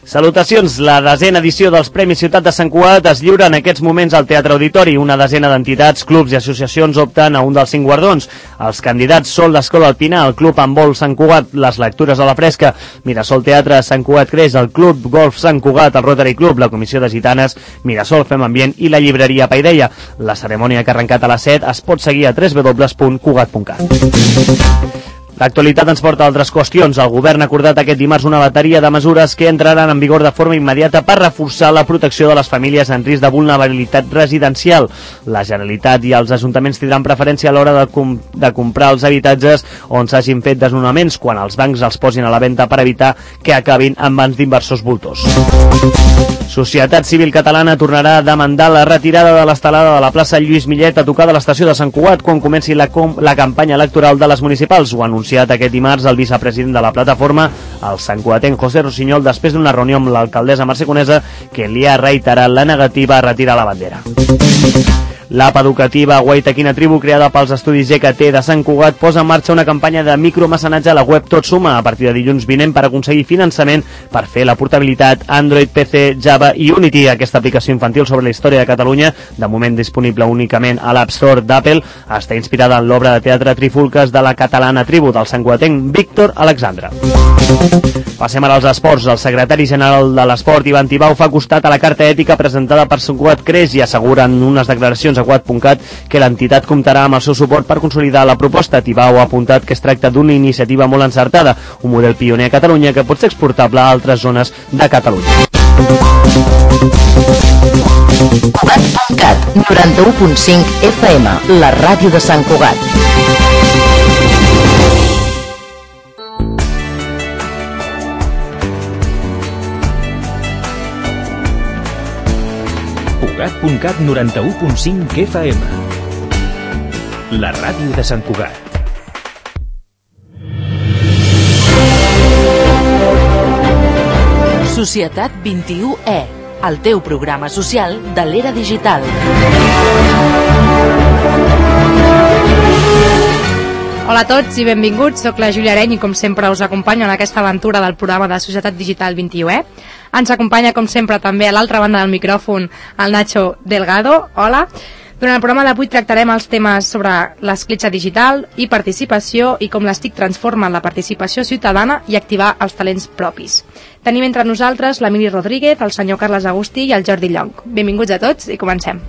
Salutacions, la desena edició dels Premis Ciutat de Sant Cugat es lliura en aquests moments al Teatre Auditori. Una desena d'entitats, clubs i associacions opten a un dels 5 guardons. Els candidats són l'Escola Alpina, el Club Handbol Sant Cugat, les Lectures a la Fresca, Mirasol Teatre, Sant Cugat Creix, el Club Golf Sant Cugat, el Rotary Club, la Comissió de Gitanes, Mirasol Fem Ambient i la llibreria Paideia. La cerimònia que ha arrencat a les 7 es pot seguir a www.cugat.cat. L'actualitat ens porta a altres qüestions. El govern ha acordat aquest dimarts una bateria de mesures que entraran en vigor de forma immediata per reforçar la protecció de les famílies en risc de vulnerabilitat residencial. La Generalitat i els ajuntaments tindran preferència a l'hora de comprar els habitatges on s'hagin fet desnonaments, quan els bancs els posin a la venda per evitar que acabin en mans d'inversors voltors. Societat Civil Catalana tornarà a demandar la retirada de l'estelada de la plaça Lluís Millet a tocar de l'estació de Sant Cugat quan comenci la campanya electoral de les municipals. Ho ha anunciat aquest dimarts el vicepresident de la plataforma, el santcugatenc José Rossinyol, després d'una reunió amb l'alcaldessa Mercè Conesa, que li ha reiterat la negativa a retirar la bandera. L'app educativa Guaitaquina Tribu, creada pels estudis GKT de Sant Cugat, posa en marxa una campanya de micromecenatge a la web Tot Suma a partir de dilluns vinent per aconseguir finançament per fer la portabilitat Android, PC, Java i Unity. Aquesta aplicació infantil sobre la història de Catalunya, de moment disponible únicament a l'App Store d'Apple, està inspirada en l'obra de teatre Trifulques de la catalana Tribu del santcugatenc Víctor Alexandre. Passem ara als esports. El secretari general de l'Esport, Ivan Tibau, fa costat a la carta ètica presentada per Sant Cugat Creix i assegura en unes declaracions a Cugat.cat que l'entitat comptarà amb el seu suport per consolidar la proposta. Tibau ha apuntat que es tracta d'una iniciativa molt encertada, un model pioner a Catalunya que pot ser exportable a altres zones de Catalunya. Cugat.cat, 91.5 FM, la ràdio de Sant Cugat. Cugat.cat, 91.5 FM, la ràdio de Sant Cugat. Societat 21E, el teu programa social de l'era digital. Hola a tots i benvinguts, soc la Júlia Areny i com sempre us acompanyo en aquesta aventura del programa de Societat Digital 21E. Ens acompanya com sempre també a l'altra banda del micròfon el Nacho Delgado. Hola. Durant el programa d'avui tractarem els temes sobre l'escletxa digital i participació i com les TIC transformen la participació ciutadana i activar els talents propis. Tenim entre nosaltres l'Emili Rodríguez, el senyor Carles Agustí i el Jordi Llong. Benvinguts a tots i comencem.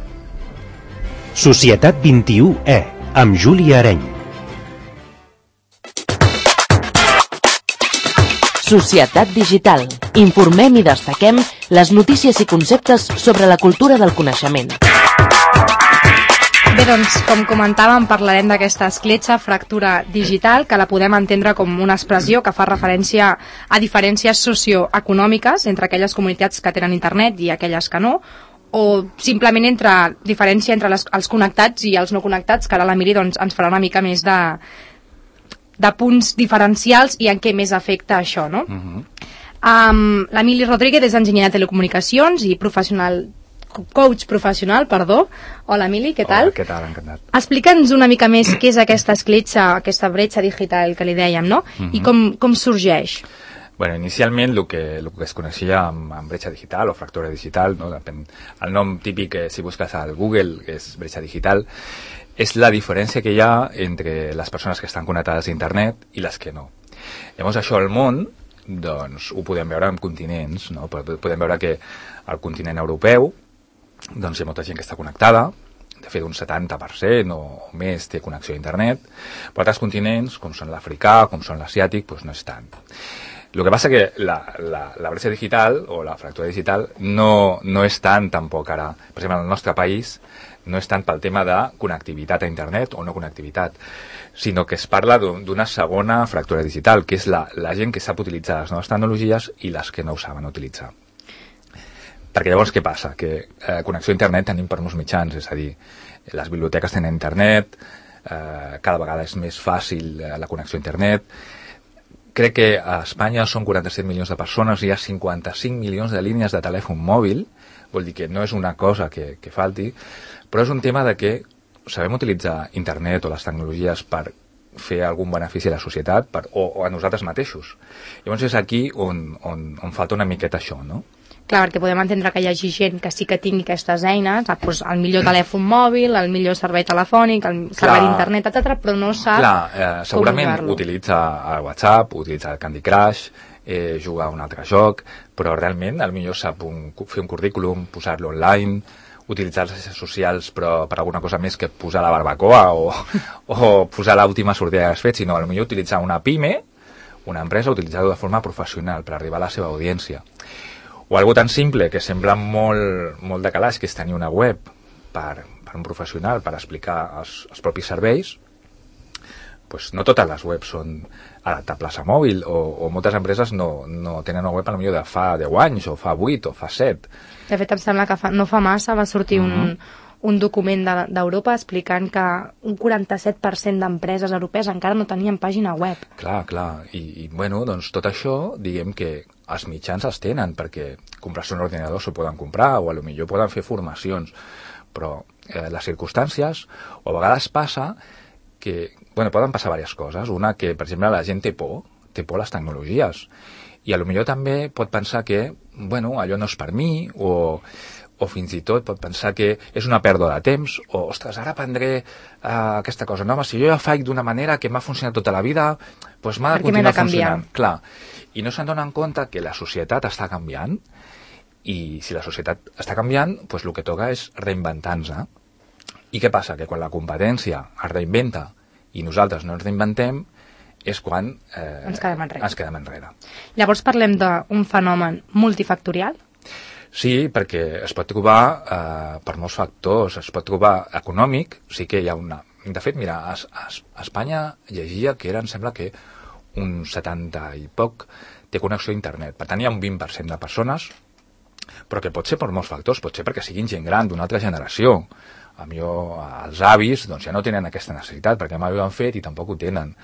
Societat 21E, amb Júlia Areny. Societat Digital. Informem i destaquem les notícies i conceptes sobre la cultura del coneixement. Bé, doncs, com comentàvem, parlarem d'aquesta escletxa, fractura digital, que la podem entendre com una expressió que fa referència a diferències socioeconòmiques entre aquelles comunitats que tenen internet i aquelles que no, o simplement diferència entre els connectats i els no connectats, que ara l'Emili doncs, ens farà una mica més de punts diferencials i en què més afecta això, no? L'Emili Rodríguez és enginyer de telecomunicacions i coach professional, perdó. Hola, Emili, què tal? Hola, què tal? Encantat. Explica'ns una mica més què és aquesta escletxa, aquesta bretxa digital que li dèiem, no? I com sorgeix? Bueno, inicialment el que es coneixia amb bretxa digital o fractura digital, no? El nom típic que si busques al Google és bretxa digital, és la diferència que hi ha entre les persones que estan connectades a internet i les que no. Llavors això al món, doncs ho podem veure en continents, no? Podem veure que al continent europeu doncs hi ha molta gent que està connectada, de fet un 70% o més té connexió a internet, però altres continents, com són l'africà, com són l'asiàtic, doncs no és tant. El que passa que la bretxa digital o la fractura digital no és tant tampoc ara, per exemple, en el nostre país no és tant pel tema de connectivitat a internet o no connectivitat, sinó que es parla d'una segona fractura digital, que és la gent que sap utilitzar les noves tecnologies i les que no ho saben utilitzar. Perquè llavors què passa? Que connexió a internet tenim per molts mitjans, és a dir, les biblioteques tenen internet, cada vegada és més fàcil la connexió a internet. Crec que a Espanya són 47 milions de persones i hi ha 55 milions de línies de telèfon mòbil, vol dir que no és una cosa que falti, però és un tema de que sabem utilitzar internet o les tecnologies per fer algun benefici a la societat o a nosaltres mateixos. Llavors és aquí on falta una miqueta això, no? Clar, perquè podem entendre que hi hagi gent que sí que tingui aquestes eines, doncs el millor telèfon mòbil, el millor servei telefònic, el servei d'internet, etc., però no sap segurament utilitza el WhatsApp, utilitza el Candy Crush, juga a un altre joc, però realment potser sap fer un currículum, posar-lo online, utilitzar les xarxes socials però per alguna cosa més que posar la barbacoa o posar l'última sortida que has fet, sinó potser utilitzar una PIME, una empresa, utilitzar-ho de forma professional per arribar a la seva audiència. O algo tan simple que sembla molt de calaix, que és tenir una web per un professional per explicar els propis serveis. Pues no totes les webs són adaptables a mòbil o moltes empreses no tenen una web potser de fa 10 anys o fa 8 o fa 7. De fet, em sembla que no fa massa va sortir un document d'Europa explicant que un 47% d'empreses europees encara no tenien pàgina web. Clar. I bueno, doncs tot això, diguem que els mitjans els tenen, perquè comprar-se un ordinador s'ho poden comprar o potser poden fer formacions, però les circumstàncies, o a vegades passa que, poden passar diverses coses. Una, que per exemple la gent té por a les tecnologies, i potser també pot pensar que, allò no és per mi, o fins i tot pot pensar que és una pèrdua de temps, o, ostres, ara aprendré aquesta cosa nova, si jo ja faig d'una manera que m'ha funcionat tota la vida, doncs m'ha de continuar funcionant. Clar. I no se'n donen compte que la societat està canviant, i si la societat està canviant, doncs el que toca és reinventar-se. I què passa? Que quan la competència es reinventa i nosaltres no ens reinventem, és quan ens quedem enrere. Llavors parlem d'un fenomen multifactorial? Sí, perquè es pot trobar per molts factors. Es pot trobar econòmic, sí que hi ha una... De fet, mira, a Espanya llegia que em sembla que un 70 i poc té connexió a internet. Per tant, hi ha un 20% de persones, però que pot ser per molts factors. Pot ser perquè siguin gent gran d'una altra generació. Els avis doncs, ja no tenen aquesta necessitat, perquè mai ho han fet i tampoc ho tenen.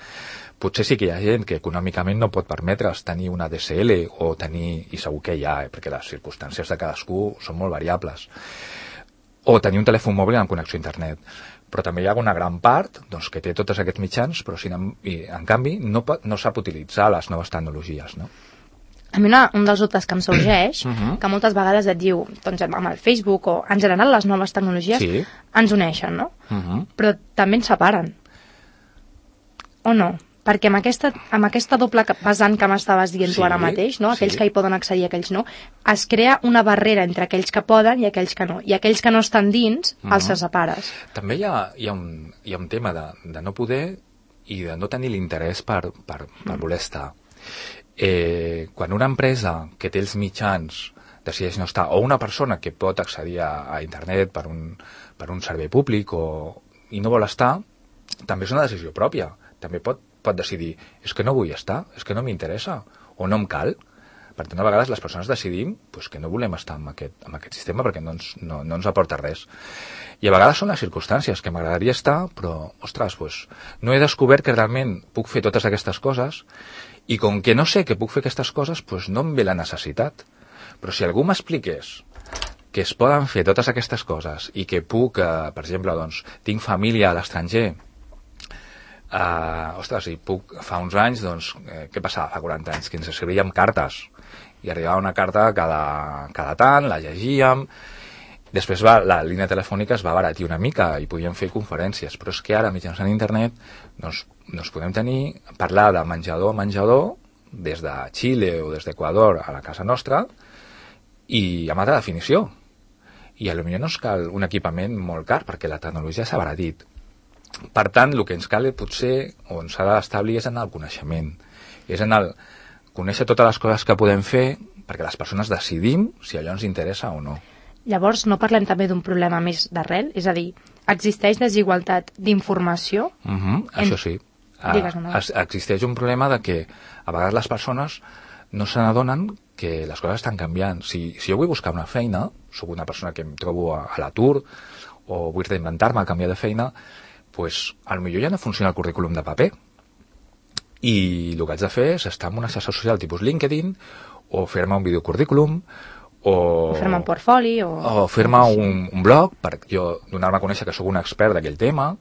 Potser sí que hi ha gent que econòmicament no pot permetre's tenir una DSL o tenir, i segur que hi ha, perquè les circumstàncies de cadascú són molt variables, o tenir un telèfon mòbil amb connexió a internet. Però també hi ha una gran part doncs, que té tots aquests mitjans, però en canvi no sap utilitzar les noves tecnologies, no? A mi un dels dubtes que em sorgeix, que moltes vegades et diu, doncs amb el Facebook o en general les noves tecnologies ens uneixen, no? Però també ens separen. O no? Perquè amb aquesta doble vessant que m'estaves dient tu ara mateix, no? Aquells que hi poden accedir i aquells no, es crea una barrera entre aquells que poden i aquells que no. I aquells que no estan dins, els separes. També hi ha un tema de no poder i de no tenir l'interès per voler estar. Quan una empresa que té els mitjans decideix no estar, o una persona que pot accedir a internet per un servei públic i no vol estar, també és una decisió pròpia. També pot decidir, és que no vull estar, és que no m'interessa, o no em cal. Per tant, a vegades les persones decidim que no volem estar en aquest sistema perquè no ens aporta res. I a vegades són les circumstàncies que m'agradaria estar, però, ostres, no he descobert que realment puc fer totes aquestes coses, i com que no sé que puc fer aquestes coses, no em ve la necessitat. Però si algú m'expliqués que es poden fer totes aquestes coses i que puc, per exemple, tinc família a l'estranger, i fa uns anys, què passava fa 40 anys? Que ens escrivíem cartes, i arribava una carta cada tant, la llegíem, després la línia telefònica es va abaratir una mica i podíem fer conferències, però és que ara mitjançant internet podem parlar de menjador a menjador des de Xile o des d'Equador a la casa nostra i amb alta definició, i potser no ens cal un equipament molt car perquè la tecnologia s'ha abaratit. Per tant, el que ens cal potser, on s'ha d'establir, és en el coneixement, és en el conèixer totes les coses que podem fer perquè les persones decidim si allò ens interessa o no. Llavors, no parlem també d'un problema més d'arrel? És a dir, existeix desigualtat d'informació? Això sí. Existeix un problema de que a vegades les persones no se n'adonen que les coses estan canviant. Si jo vull buscar una feina, soc una persona que em trobo a l'atur o vull reinventar-me, canviar de feina, potser ja no funciona el currículum de paper. I el que haig de fer és estar en una xarxa social tipus LinkedIn o fer-me un videocurrículum o fer-me un portfoli o fer-me un blog per jo donar-me a conèixer que sóc un expert d'aquell tema,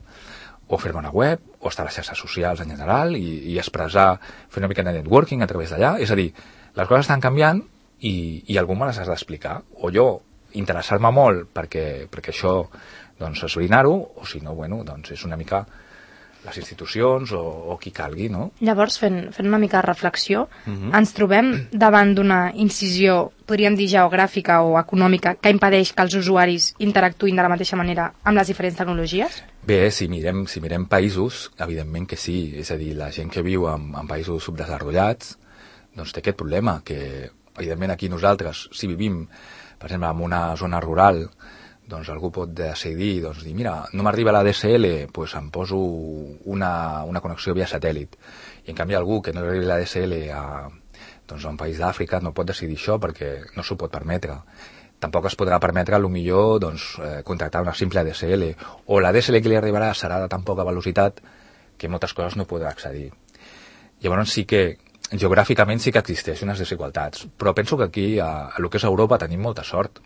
o fer-me una web, o estar a les xarxes socials en general i expressar, fer una mica de networking a través d'allà. És a dir, les coses estan canviant i algú me les has d'explicar. O jo interessar-me molt perquè això, doncs, esbrinar-ho, o si no, bueno, doncs és una mica les institucions o qui calgui, no? Llavors, fent una mica de reflexió, ens trobem davant d'una incisió, podríem dir geogràfica o econòmica, que impedeix que els usuaris interactuïn de la mateixa manera amb les diferents tecnologies? Bé, si mirem països, evidentment que sí. És a dir, la gent que viu en països subdesenvolupats doncs té aquest problema, que evidentment aquí nosaltres, si vivim, per exemple, en una zona rural, doncs algú pot decidir, doncs dir, mira, no m'arriba la DSL, doncs em poso una connexió via satèl·lit. I en canvi algú que no li arribi la DSL a un país d'Àfrica no pot decidir això perquè no s'ho pot permetre. Tampoc es podrà permetre, potser, contractar una simple DSL, o la DSL que li arribarà serà de tan poca velocitat que moltes coses no podrà accedir. Llavors sí que geogràficament sí que existeixen unes desigualtats, però penso que aquí, a lo que és Europa, tenim molta sort,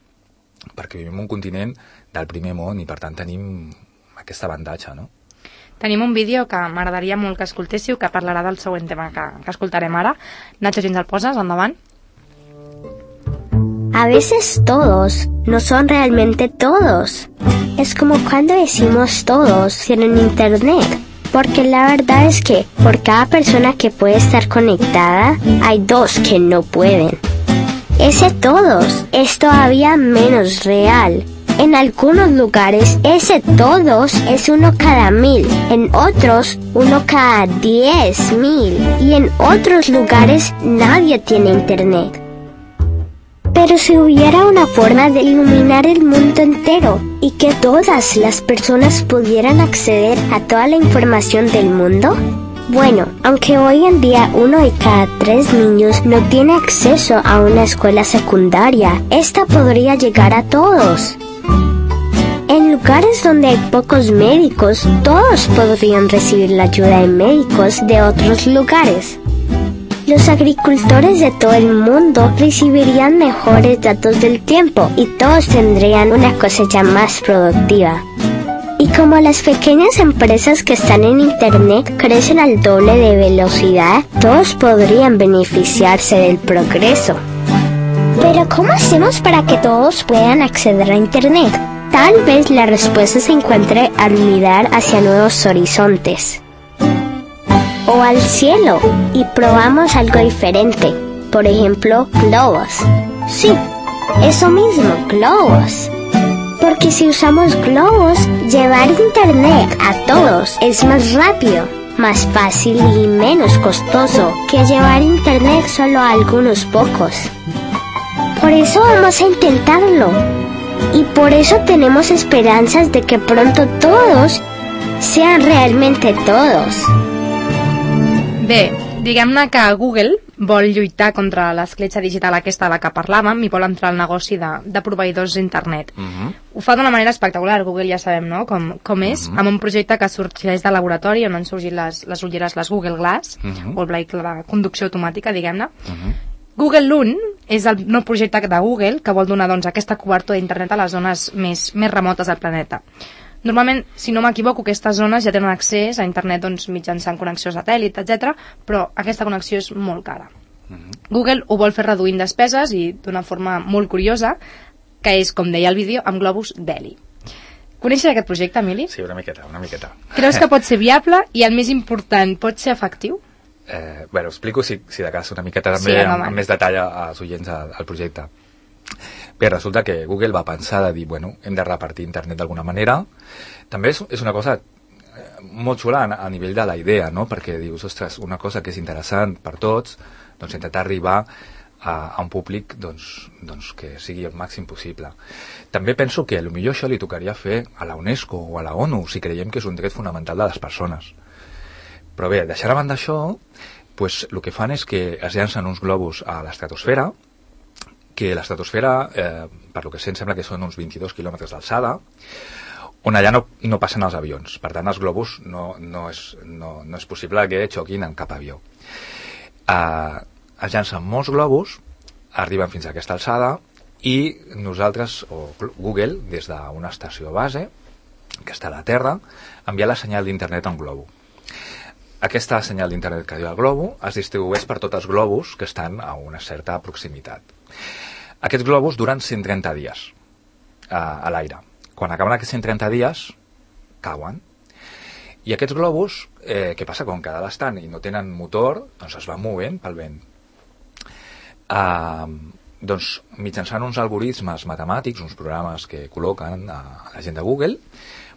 perquè vivim en un continent del primer món i per tant tenim aquest avantatge, no? Tenim un vídeo que m'agradaria molt que escoltéssiu, que parlarà del següent tema que escoltarem ara. Nacho, si ens el poses, endavant. A veces todos no son realmente todos. Es como cuando decimos todos tienen internet, porque la verdad es que por cada persona que puede estar conectada, hay dos que no pueden. Ese todos es todavía menos real. En algunos lugares ese todos es 1 cada 1000, en otros 1 cada 10.000 y en otros lugares nadie tiene internet. Pero si hubiera una forma de iluminar el mundo entero y que todas las personas pudieran acceder a toda la información del mundo, bueno, aunque hoy en día 1 de cada 3 niños no tiene acceso a una escuela secundaria, esta podría llegar a todos. En lugares donde hay pocos médicos, todos podrían recibir la ayuda de médicos de otros lugares. Los agricultores de todo el mundo recibirían mejores datos del tiempo y todos tendrían una cosecha más productiva. Y como las pequeñas empresas que están en Internet crecen al doble de velocidad, todos podrían beneficiarse del progreso. Pero ¿cómo hacemos para que todos puedan acceder a Internet? Tal vez la respuesta se encuentre al mirar hacia nuevos horizontes. O al cielo, y probamos algo diferente. Por ejemplo, globos. Sí, eso mismo, globos. Porque si usamos globos, llevar internet a todos es más rápido, más fácil y menos costoso que llevar internet solo a algunos pocos. Por eso vamos a intentarlo. Y por eso tenemos esperanzas de que pronto todos sean realmente todos. Bé, diguem-ne que Google vol lluitar contra l'escletxa digital aquesta de la que parlàvem i vol entrar al negoci de proveïdors d'internet. Ho fa d'una manera espectacular, Google ja sabem, no?, com és, amb un projecte que sorgeix de laboratori on han sorgit les ulleres, les Google Glass, o el vehicle de conducció automàtica, diguem-ne. Google Lune és el nou projecte de Google que vol donar, doncs, aquesta cobertura d'internet a les zones més remotes del planeta. Normalment, si no m'equivoco, aquestes zones ja tenen accés a internet, doncs, mitjançant connexió satèl·lit, etc., però aquesta connexió és molt cara. Google ho vol fer reduint despeses i d'una forma molt curiosa, que és, com deia el vídeo, amb globus d'heli. Coneixes aquest projecte, Emili? Sí, una miqueta. Creus que pot ser viable i, el més important, pot ser efectiu? Bueno, explico, si de cas, una miqueta també, amb més detall als oients al projecte. Bé, resulta que Google va pensar de dir, bueno, hem de repartir internet d'alguna manera. També és una cosa molt xula a nivell de la idea, no? Perquè dius, ostres, una cosa que és interessant per tots, doncs intentar arribar a un públic doncs que sigui el màxim possible. També penso que potser això li tocaria fer a la UNESCO o a la ONU, si creiem que és un dret fonamental de les persones. Però bé, deixant a banda això, doncs, el que fan és que es llancen uns globus a l'estratosfera, que l'estratosfera, per lo que sé, em sembla que són uns 22 quilòmetres d'alçada, on allà no passen els avions. Per tant, els globus no és possible que xoquin en cap avió. Es llancen molts globus, arriben fins a aquesta alçada, i nosaltres, o Google, des d'una estació base, que està a la Terra, enviar la senyal d'internet a un globo. Aquesta senyal d'internet que diu al globo es distribueix per tots els globus que estan a una certa proximitat. Aquests globus duren 130 dies a l'aire. Quan acaben aquests 130 dies, cauen. I aquests globus, què passa? Com que estan i no tenen motor, doncs es van movent pel vent. Doncs mitjançant uns algoritmes matemàtics, uns programes que col·loquen a la gent de Google,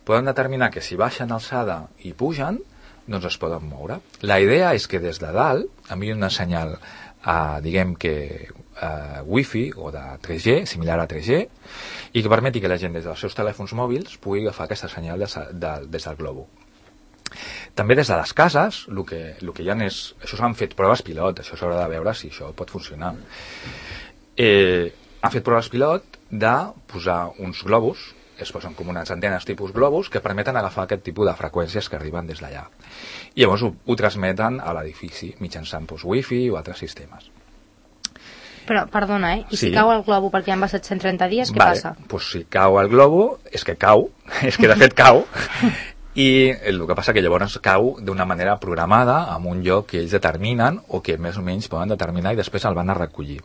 poden determinar que si baixen alçada i pugen, doncs es poden moure. La idea és que des de dalt enviïn una senyal, diguem que Wi-Fi o de 3G, similar a 3G, i que permeti que la gent des dels seus telèfons mòbils pugui agafar aquesta senyal des del globo. També des de les cases, el que hi ha és... Això s'han fet proves pilot, això s'haurà de veure si això pot funcionar. Han fet proves pilot de posar uns globus, es posen com unes antenes tipus globus que permeten agafar aquest tipus de freqüències que arriben des d'allà. I llavors ho transmeten a l'edifici mitjançant Wi-Fi o altres sistemes. Però, perdona, I sí. Si cau el globo perquè han passat 130 dies, què passa? Doncs si cau el globo, és que cau, és que de fet cau, i el que passa que llavors cau d'una manera programada en un lloc que ells determinen o que més o menys poden determinar i després el van a recollir.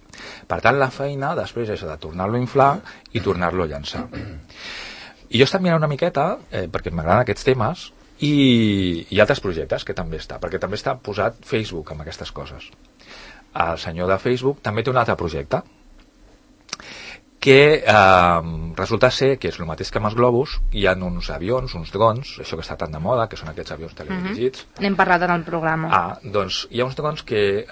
Per tant, la feina després és de tornar-lo a inflar i tornar-lo a llançar. I jo he estat mirant una miqueta, perquè m'agraden aquests temes, i altres projectes que també està, perquè també està posat Facebook amb aquestes coses. El senyor de Facebook també té un altre projecte que resulta ser que és el mateix que amb els globus, hi ha uns avions, uns drons, això que està tan de moda, que són aquests avions teledirigits. N'hem parlat en el programa. Doncs hi ha uns drons que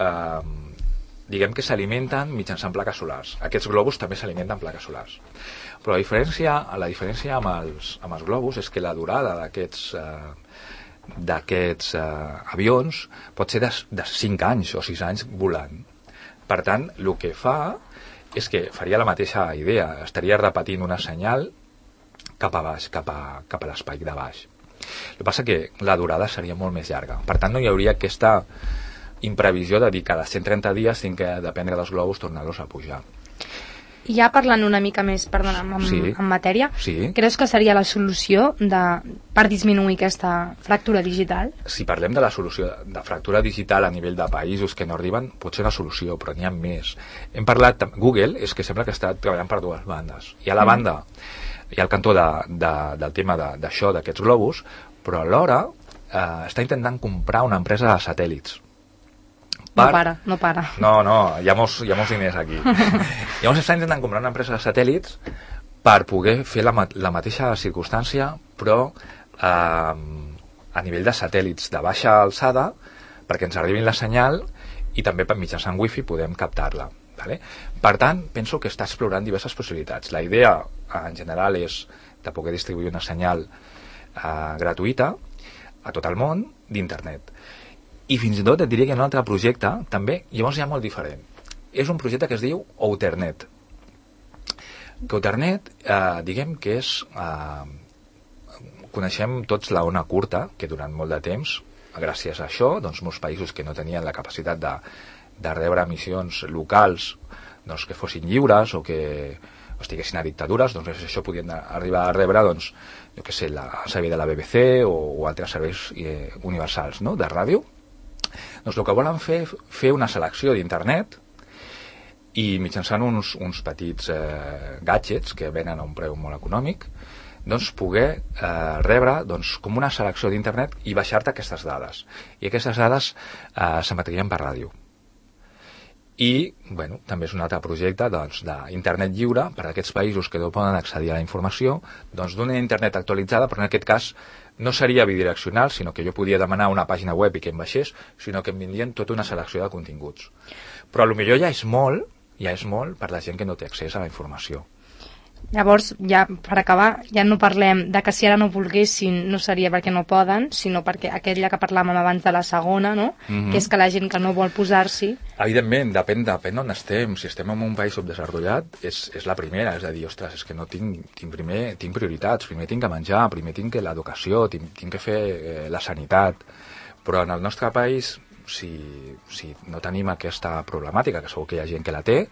diguem que s'alimenten mitjançant plaques solars. Aquests globus també s'alimenten amb plaques solars. Però la diferència amb els globus és que la durada d'aquests avions pot ser de 5 anys o 6 anys volant. Per tant, el que fa és que faria la mateixa idea, estaria repetint una senyal cap a baix, cap a l'espai de baix. El que passa que la durada seria molt més llarga. Per tant, no hi hauria aquesta imprevisió de dir que cada 130 dies tinc que dependre dels globus tornar-los a pujar. I ja parlant una mica més, perdona, en matèria, sí. Creus que seria la solució per disminuir aquesta fractura digital? Si parlem de la solució de fractura digital a nivell de països que no arriben, pot ser una solució, però n'hi ha més. Hem parlat, Google és que sembla que està treballant per dues bandes. Hi ha la banda, hi ha el cantó del tema d'això, d'aquests globus, però alhora està intentant comprar una empresa de satèl·lits. No para. No, hi ha molts diners aquí. Llavors està intentant comprar una empresa de satèl·lits per poder fer la mateixa circumstància, però a nivell de satèl·lits de baixa alçada, perquè ens arribin la senyal i també mitjançant wifi podem captar-la. Vale? Per tant, penso que està explorant diverses possibilitats. La idea, en general, és de poder distribuir una senyal gratuïta a tot el món d'internet. I fins i tot et diria que hi ha un altre projecte, també, llavors ja molt diferent. És un projecte que es diu Outernet. Que Outernet, diguem que és... coneixem tots la ona curta, que durant molt de temps, gràcies a això, doncs molts països que no tenien la capacitat de rebre emissions locals doncs, que fossin lliures o que estiguessin a dictadures, doncs això podien arribar a rebre, doncs, jo què sé, el servei de la BBC o altres serveis universals, no?, de ràdio. Doncs el que volen fer una selecció d'internet i mitjançant uns petits gadgets que venen a un preu molt econòmic, doncs poder rebre doncs, com una selecció d'internet i baixar-te aquestes dades. I aquestes dades s'emetrien per ràdio. I, bueno, també és un altre projecte doncs, d'internet lliure per a aquests països que no poden accedir a la informació, doncs d'una internet actualitzada, però en aquest cas no seria bidireccional, sinó que jo podia demanar una pàgina web i que em baixés, sinó que em vindrien tota una selecció de continguts. Però potser ja és molt per la gent que no té accés a la informació. Llavors, ja per acabar, ja no parlem de que si ara no volguessin no seria perquè no poden, sinó perquè aquella que parlàvem abans de la segona, no? Que és que la gent que no vol posar-s'hi... Evidentment, depèn d'on estem. Si estem en un país subdesenvolupat, és la primera, és a dir, ostres, és que no tinc prioritats, primer tinc que menjar, primer tinc l'educació, tinc que fer la sanitat. Però en el nostre país, si no tenim aquesta problemàtica, que segur que hi ha gent que la té,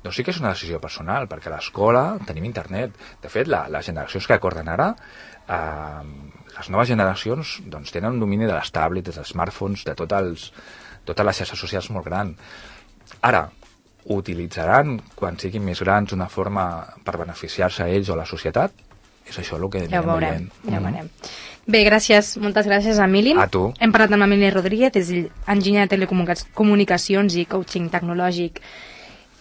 Doncs sí que és una decisió personal, perquè a l'escola tenim internet. De fet, les generacions que acorden ara, les noves generacions doncs, tenen un domini de les tablets, dels smartphones, de totes les xarxes socials molt gran. Ara, utilitzaran, quan siguin més grans, una forma per beneficiar-se a ells o a la societat? És això el que ja ho veurem. Bé, gràcies, moltes gràcies, Emili. A tu. Hem parlat amb Emili Rodríguez, és enginyer de telecomunicacions i coaching tecnològic,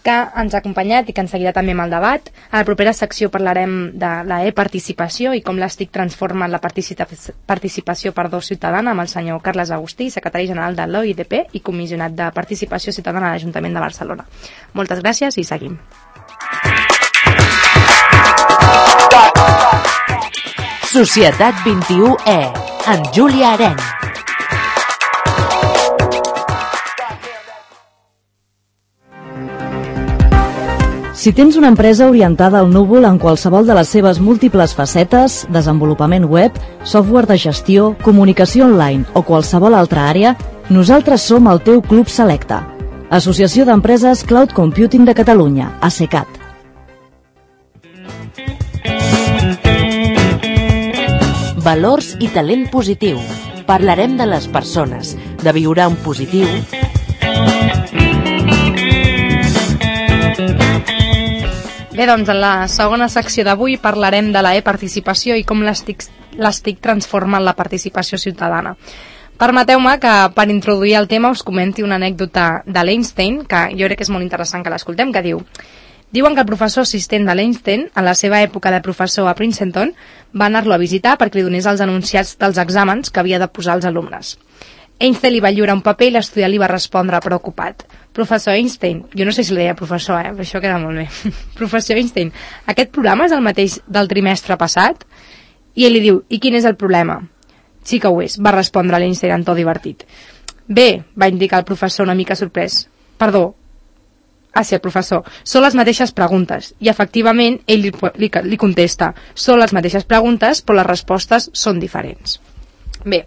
que ens ha acompanyat i que ens seguirà també amb el debat. A la propera secció parlarem de la e-participació i com les TIC transformen la participació ciutadana amb el senyor Carles Agustí, secretari general de l'OIDP i comissionat de participació ciutadana a l'Ajuntament de Barcelona. Moltes gràcies i seguim. Societat 21E, amb Júlia Areny. Si tens una empresa orientada al núvol en qualsevol de les seves múltiples facetes, desenvolupament web, software de gestió, comunicació online o qualsevol altra àrea, nosaltres som el teu club selecte. Associació d'Empreses Cloud Computing de Catalunya, ACECAT. Valors i talent positiu. Parlarem de les persones, de viure en positiu. Bé, doncs en la segona secció d'avui parlarem de la e-participació i com les TIC transformen la participació ciutadana. Permeteu-me que per introduir el tema us comenti una anècdota de l'Einstein, que jo crec que és molt interessant que l'escoltem, que diuen que el professor assistent de l'Einstein, en la seva època de professor a Princeton, va anar-lo a visitar perquè li donés els enunciats dels exàmens que havia de posar als alumnes. Einstein li va lliurar un paper i l'estudiant li va respondre preocupat. Professor Einstein, jo no sé si li deia professor, però això queda molt bé. Professor Einstein, aquest programa és el mateix del trimestre passat? I ell li diu, i quin és el problema? Sí que ho és, va respondre l'Einstein en to divertit. Bé, va indicar el professor una mica sorprès. Perdó. Sí, el professor. Són les mateixes preguntes. I efectivament ell li contesta. Són les mateixes preguntes, però les respostes són diferents. Bé,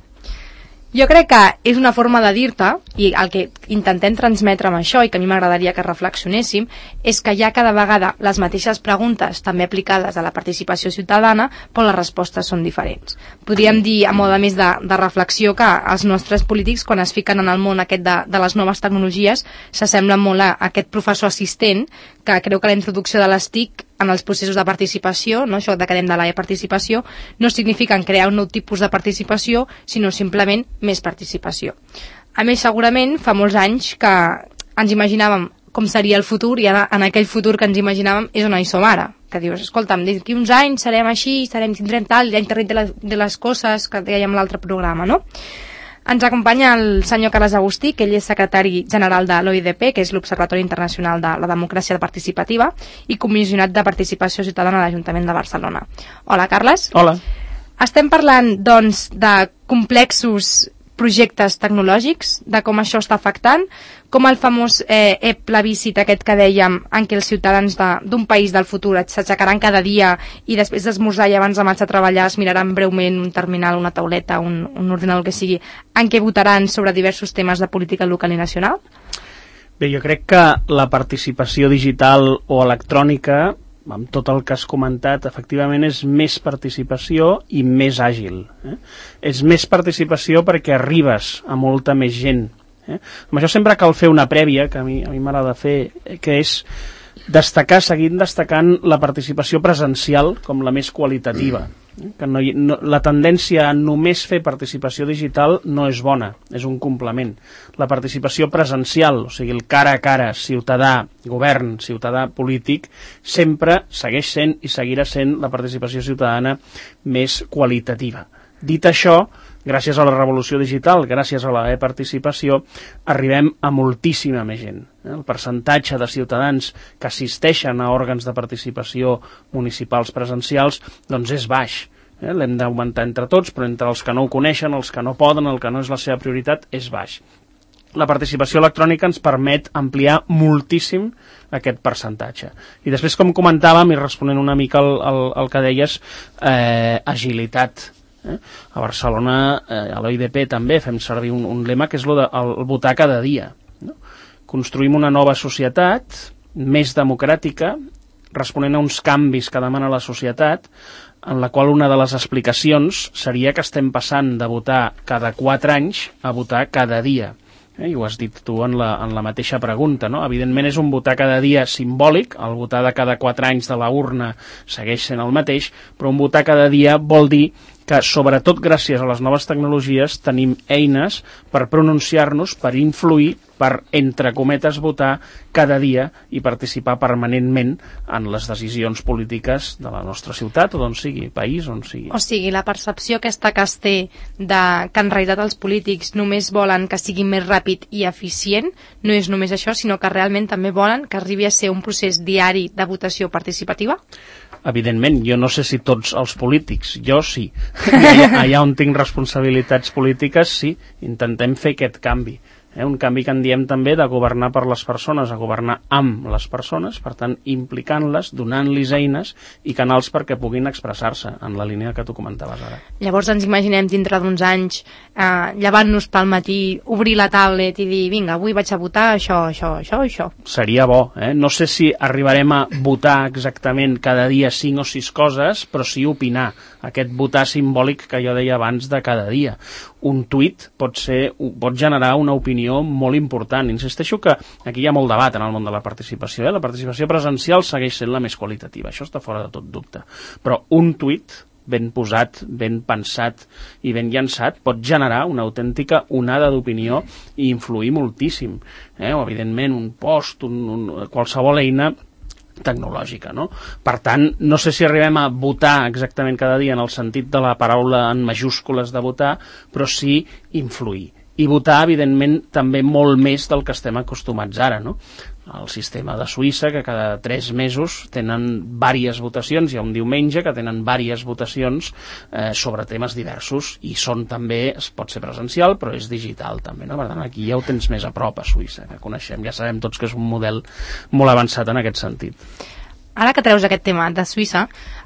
jo crec que és una forma de dir-te, i el que intentem transmetre amb això, i que a mi m'agradaria que reflexionéssim, és que hi ha cada vegada les mateixes preguntes, també aplicades a la participació ciutadana, però les respostes són diferents. Podríem dir, a mode més de reflexió, que els nostres polítics, quan es fiquen en el món aquest de les noves tecnologies, s'assemblen molt a aquest professor assistent, que creu que la introducció de les TIC en els processos de participació, no, això que dèiem de la participació, no significa crear un nou tipus de participació, sinó simplement més participació. A més, segurament, fa molts anys que ens imaginàvem com seria el futur i ara, en aquell futur que ens imaginàvem és on hi som ara. Que dius, escolta'm, d'aquí uns anys serem així, tindrem tal, l'internet de les coses que dèiem a l'altre programa, no? Ens acompanya el senyor Carles Agustí, que ell és secretari general de l'OIDP, que és l'Observatori Internacional de la Democràcia Participativa, i comissionat de participació ciutadana a l'Ajuntament de Barcelona. Hola, Carles. Hola. Estem parlant, doncs, de complexos projectes tecnològics, de com això està afectant, com el famós plebiscit aquest que dèiem, en què els ciutadans d'un país del futur s'aixecaran cada dia i després d'esmorzar i abans de marxar a treballar es miraran breument un terminal, una tauleta, un ordinador, que sigui, en què votaran sobre diversos temes de política local i nacional? Bé, jo crec que la participació digital o electrònica, amb tot el que has comentat, efectivament és més participació i més àgil. És més participació perquè arribes a molta més gent. Amb això sempre cal fer una prèvia, que a mi m'agrada fer, que és seguir destacant la participació presencial com la més qualitativa. Que la tendència a només fer participació digital no és bona, és un complement. La participació presencial, o sigui, el cara a cara, ciutadà, govern, ciutadà, polític, sempre segueix sent i seguirà sent la participació ciutadana més qualitativa. Dit això, gràcies a la revolució digital, gràcies a la e-participació, arribem a moltíssima més gent. El percentatge de ciutadans que assisteixen a òrgans de participació municipals presencials doncs és baix. L'hem d'augmentar entre tots, però entre els que no ho coneixen, els que no poden, el que no és la seva prioritat, és baix. La participació electrònica ens permet ampliar moltíssim aquest percentatge. I després, com comentàvem, i responent una mica al que deies, agilitat. A Barcelona, a l'OIDP també fem servir un lema que és el votar cada dia. Construïm una nova societat més democràtica, responent a uns canvis que demana la societat, en la qual una de les explicacions seria que estem passant de votar cada 4 anys a votar cada dia. I ho has dit tu en la mateixa pregunta, no? Evidentment és un votar cada dia simbòlic, el votar de cada 4 anys de la urna segueix sent el mateix, però un votar cada dia vol dir que, sobretot gràcies a les noves tecnologies, tenim eines per pronunciar-nos, per influir, per, entre cometes, votar cada dia i participar permanentment en les decisions polítiques de la nostra ciutat o d'on sigui, país, on sigui. O sigui, la percepció aquesta que es té de que en realitat els polítics només volen que sigui més ràpid i eficient, no és només això, sinó que realment també volen que arribi a ser un procés diari de votació participativa? Evidentment, jo no sé si tots els polítics, jo sí. Allà on tinc responsabilitats polítiques, sí, intentem fer aquest canvi. Un canvi que en diem també de governar per les persones a governar amb les persones, per tant, implicant-les, donant-los eines i canals perquè puguin expressar-se en la línia que tu comentaves ara. Llavors ens imaginem dintre d'uns anys llevant-nos pel matí, obrir la tablet i dir, vinga, avui vaig a votar això, això, això, això. Seria bo, No sé si arribarem a votar exactament cada dia 5 o 6 coses, però sí opinar, aquest votar simbòlic que jo deia abans de cada dia. Un tuit pot generar una opinió molt important. Insisteixo que aquí hi ha molt debat en el món de la participació. La participació presencial segueix sent la més qualitativa, això està fora de tot dubte. Però un tuit ben posat, ben pensat i ben llançat pot generar una autèntica onada d'opinió i influir moltíssim. O, evidentment, un post, qualsevol eina tecnològica, no? Per tant, no sé si arribem a votar exactament cada dia en el sentit de la paraula en majúscules de votar, però sí influir. I votar, evidentment, també molt més del que estem acostumats ara, no? El sistema de Suïssa, que cada 3 mesos tenen diverses votacions, hi ha un diumenge que tenen diverses votacions sobre temes diversos, i són també, pot ser presencial, però és digital també, no? Per tant, aquí ja ho tens més a prop, a Suïssa, que coneixem, ja sabem tots que és un model molt avançat en aquest sentit. Ara que treus aquest tema de Suïssa,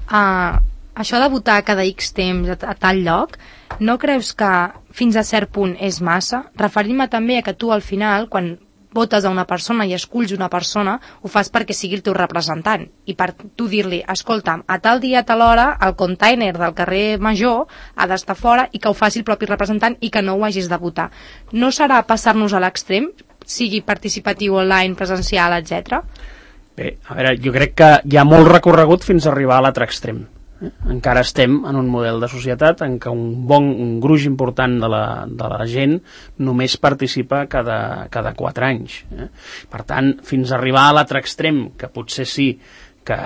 això de votar cada X temps a tal lloc, no creus que fins a cert punt és massa? Referim-me també a que tu al final, quan votes a una persona i esculls una persona, ho fas perquè sigui el teu representant. I per tu dir-li, escolta'm, a tal dia, a tal hora, el container del carrer Major ha d'estar fora i que ho faci el propi representant i que no ho hagis de votar. No serà passar-nos a l'extrem, sigui participatiu online, presencial, etc? Bé, a veure, jo crec que hi ha molt recorregut fins a arribar a l'altre extrem. Encara estem en un model de societat en què un gruix important de la gent només participa cada 4 anys. Per tant, fins a arribar a l'altre extrem, que potser sí que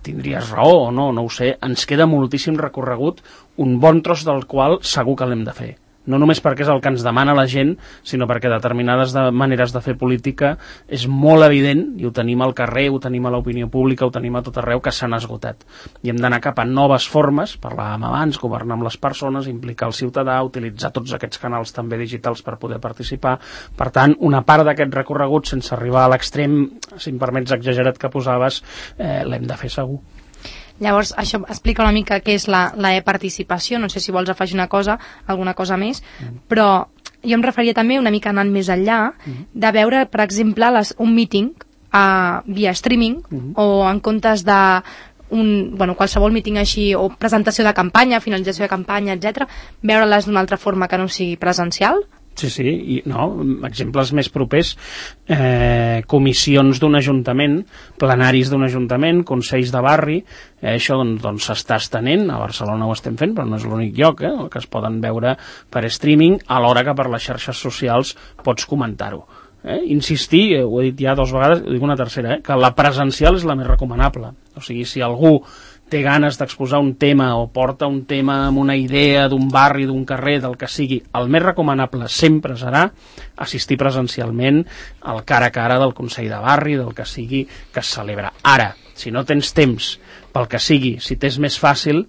tindries raó o no, no ho sé, ens queda moltíssim recorregut, un bon tros del qual segur que l'hem de fer. No només perquè és el que ens demana la gent, sinó perquè determinades maneres de fer política és molt evident, i ho tenim al carrer, ho tenim a l'opinió pública, ho tenim a tot arreu, que s'han esgotat. I hem d'anar cap a noves formes, parlàvem abans, governar amb les persones, implicar el ciutadà, utilitzar tots aquests canals també digitals per poder participar. Per tant, una part d'aquest recorregut, sense arribar a l'extrem, si em permets exagerat que posaves, l'hem de fer segur. Llavors, això explica una mica què és la e-participació, no sé si vols afegir alguna cosa més, però jo em referia també una mica anant més enllà, de veure, per exemple, un meeting via streaming, o en comptes de qualsevol meeting així, o presentació de campanya, finalització de campanya, etc., veure-les d'una altra forma que no sigui presencial. Sí, exemples més propers, comissions d'un ajuntament, plenaris d'un ajuntament, consells de barri, això doncs s'està estenent, a Barcelona ho estem fent, però no és l'únic lloc, que es poden veure per streaming, alhora que per les xarxes socials pots comentar-ho. Insistir, ho he dit ja 2 vegades, ho dic una tercera, que la presencial és la més recomanable. O sigui, si algú té ganes d'exposar un tema o porta un tema amb una idea d'un barri, d'un carrer, del que sigui, el més recomanable sempre serà assistir presencialment al cara a cara del Consell de Barri, del que sigui que es celebra. Ara, si no tens temps pel que sigui, si t'és més fàcil,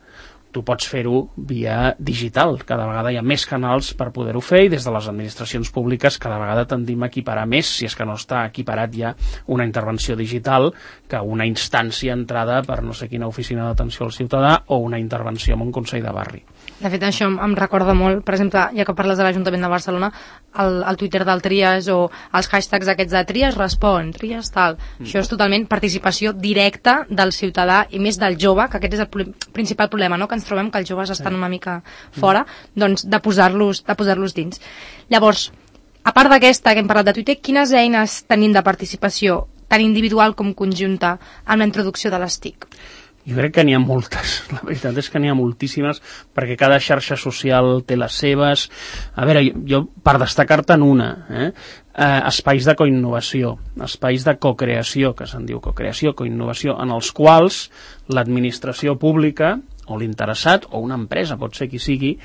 tu pots fer-ho via digital. Cada vegada hi ha més canals per poder-ho fer i des de les administracions públiques cada vegada tendim a equiparar més, si és que no està equiparat ja una intervenció digital que una instància entrada per no sé quina oficina d'atenció al ciutadà o una intervenció en un consell de barri. De fet, això em recorda molt, per exemple, ja que parles de l'Ajuntament de Barcelona, el Twitter del Trias o els hashtags aquests de Trias respon, Trias tal. Això és totalment participació directa del ciutadà i més del jove, que aquest és el principal problema, no? Que ens trobem que els joves estan una mica fora, doncs de posar-los dins. Llavors, a part d'aquesta que hem parlat de Twitter, quines eines tenim de participació, tant individual com conjunta, amb la introducció de les TIC? Jo crec que n'hi ha moltes, la veritat és que n'hi ha moltíssimes, perquè cada xarxa social té les seves. A veure, jo per destacar-te'n una, espais de coinnovació, espais de cocreació, que se'n diu cocreació, coinnovació, en els quals l'administració pública o l'interessat, o una empresa, pot ser qui sigui,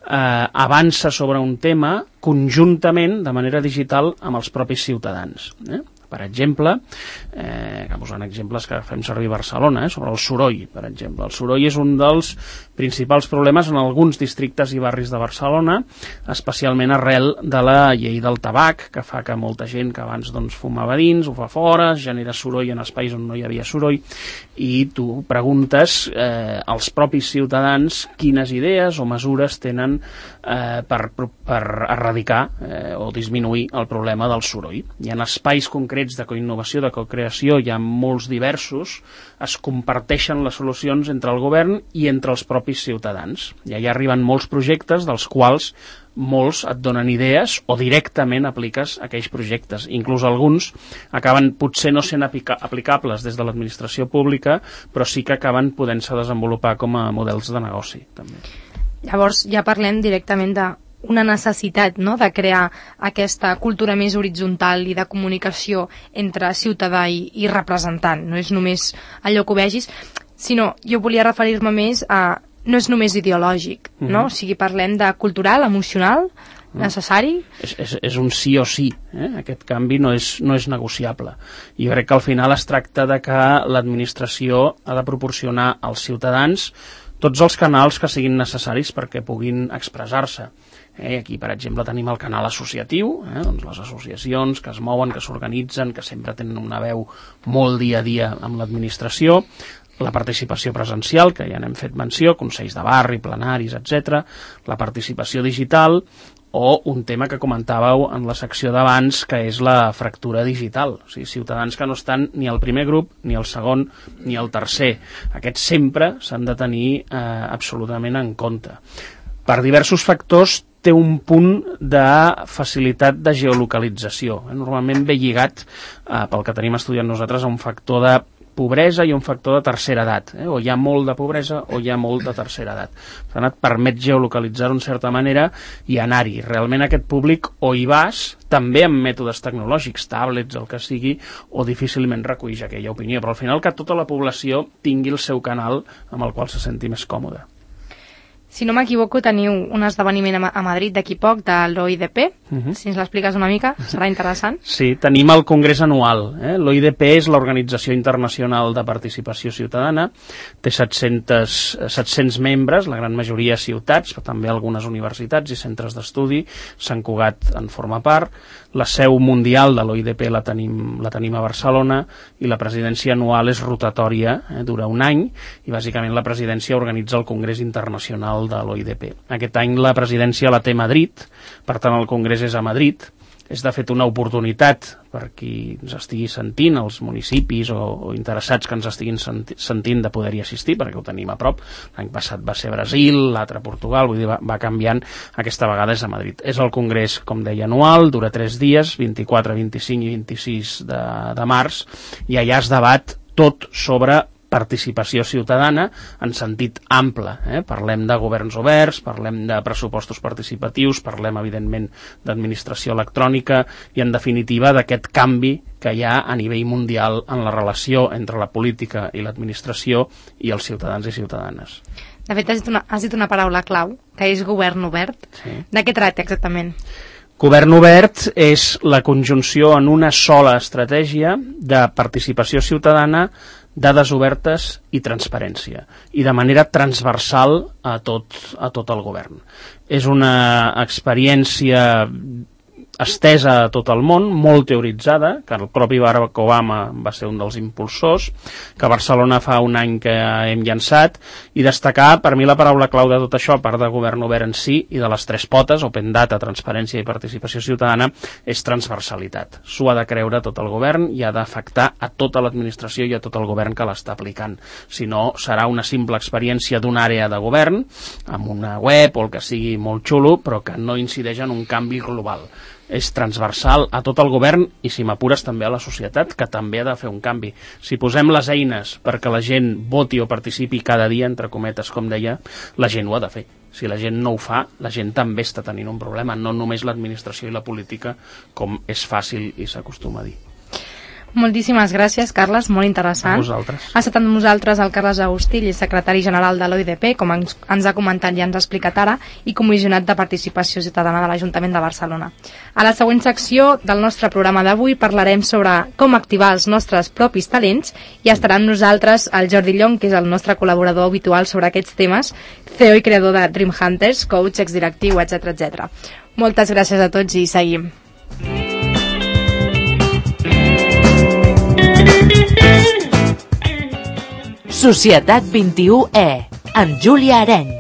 avança sobre un tema conjuntament, de manera digital, amb els propis ciutadans. Per exemple, posant exemples que fem servir a Barcelona, sobre el soroll, per exemple. El soroll és un dels principals problemes en alguns districtes i barris de Barcelona, especialment arrel de la llei del tabac, que fa que molta gent que abans fumava dins, ho fa fora, genera soroll en espais on no hi havia soroll, i tu preguntes als propis ciutadans quines idees o mesures tenen per erradicar o disminuir el problema del soroll. Hi ha espais concrets de coinnovació, de cocreació, hi ha molts diversos, es comparteixen les solucions entre el govern i entre els propis ciutadans. I allà arriben molts projectes dels quals molts et donen idees o directament apliques aquells projectes. Inclús alguns acaben potser no sent aplicables des de l'administració pública, però sí que acaben podent-se desenvolupar com a models de negoci, també. Llavors ja parlem directament d'una necessitat, no?, de crear aquesta cultura més horitzontal i de comunicació entre ciutadà i representant. No és només allò que vegis, sinó jo volia referir-me més a no és només ideològic, no? O sigui, parlem de cultural, emocional, necessari. És un sí o sí, aquest canvi no és negociable. Jo crec que al final es tracta de que l'administració ha de proporcionar als ciutadans tots els canals que siguin necessaris perquè puguin expressar-se. Aquí, per exemple, tenim el canal associatiu, doncs les associacions que es mouen, que s'organitzen, que sempre tenen una veu molt dia a dia amb l'administració, la participació presencial, que ja n'hem fet menció, consells de barri, plenaris, etc., la participació digital o un tema que comentàveu en la secció d'abans, que és la fractura digital. O sigui, ciutadans que no estan ni al primer grup, ni al segon, ni al tercer. Aquests sempre s'han de tenir absolutament en compte. Per diversos factors té un punt de facilitat de geolocalització. Normalment ve lligat, pel que tenim estudiat nosaltres, a un factor de pobresa i un factor de tercera edat. O hi ha molt de pobresa o hi ha molt de tercera edat. Per tant, et permet geolocalitzar-ho en certa manera i anar-hi. Realment aquest públic o hi vas, també amb mètodes tecnològics, tablets, el que sigui, o difícilment recull aquella opinió. Però al final que tota la població tingui el seu canal amb el qual se senti més còmode. Si no m'equivoco, teniu un esdeveniment a Madrid d'aquí poc, de l'OIDP. Si ens l'expliques una mica, serà interessant. Sí, tenim el Congrés Anual. L'OIDP és l'Organització Internacional de Participació Ciutadana. Té 700 membres, la gran majoria ciutats, però també algunes universitats i centres d'estudi. Sant Cugat en forma part. La seu mundial de l'OIDP la tenim a Barcelona i la presidència anual és rotatòria, dura un any, i bàsicament la presidència organitza el Congrés Internacional de l'OIDP. Aquest any la presidència la té Madrid, per tant el Congrés és a Madrid. És de fet una oportunitat per qui ens estigui sentint, els municipis o interessats que ens estiguin sentint de poder-hi assistir, perquè ho tenim a prop. L'any passat va ser Brasil, l'altre Portugal, vull dir, va canviant. Aquesta vegada és a Madrid. És el congrés, com deia, anual, dura 3 dies, 24, 25 i 26 de març, i allà es debat tot sobre participació ciutadana en sentit ample. Parlem de governs oberts, parlem de pressupostos participatius, parlem, evidentment, d'administració electrònica i, en definitiva, d'aquest canvi que hi ha a nivell mundial en la relació entre la política i l'administració i els ciutadans i ciutadanes. De fet, has dit una paraula clau, que és govern obert. Sí. De què tracta exactament? Govern obert és la conjunció en una sola estratègia de participació ciutadana dades obertes i transparència, i de manera transversal a tot el govern. És una experiència estesa a tot el món, molt teoritzada, que el propi Barack Obama va ser un dels impulsors, que a Barcelona fa un any que hem llançat, i destacar, per mi la paraula clau de tot això, a part de govern obert en si i de les tres potes, open data, transparència i participació ciutadana, és transversalitat. S'ho ha de creure tot el govern i ha d'afectar a tota l'administració i a tot el govern que l'està aplicant. Si no, serà una simple experiència d'una àrea de govern, amb una web o el que sigui molt xulo, però que no incideix en un canvi global. És transversal a tot el govern i, si m'apures, també a la societat, que també ha de fer un canvi. Si posem les eines perquè la gent voti o participi cada dia, entre cometes, com deia, la gent ho ha de fer. Si la gent no ho fa, la gent també està tenint un problema, no només l'administració i la política, com és fàcil i s'acostuma a dir. Moltíssimes gràcies, Carles, molt interessant. A vosaltres. Ha estat amb nosaltres el Carles Agustí, secretari general de l'OIDP, com ens ha comentat i ens ha explicat ara, i comissionat de participació ciutadana de l'Ajuntament de Barcelona. A la següent secció del nostre programa d'avui parlarem sobre com activar els nostres propis talents i estarà amb nosaltres el Jordi Llong, que és el nostre col·laborador habitual sobre aquests temes, CEO i creador de Dream Hunters, coach, exdirectiu, etc. Moltes gràcies a tots i seguim. Societat 21E, amb Júlia Areny.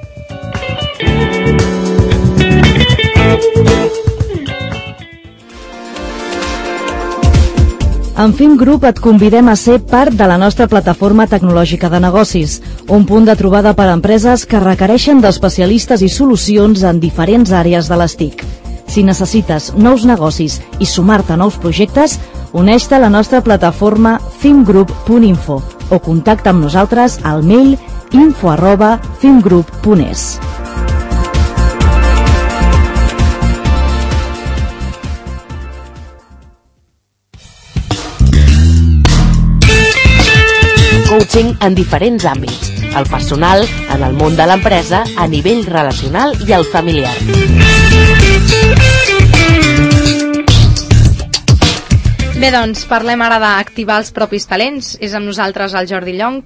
En Film Group et convidem a ser part de la nostra plataforma tecnològica de negocis, un punt de trobada per a empreses que requereixen d'especialistes i solucions en diferents àrees de les TIC. Si necessites nous negocis i sumar-te a nous projectes, uneix-te a la nostra plataforma filmgroup.info o contacta amb nosaltres al mail info@filmgroup.es. Coaching en diferents àmbits, el personal, en el món de l'empresa, a nivell relacional i el familiar. Bé, doncs, parlem ara d'activar els propis talents. És amb nosaltres el Jordi Llong,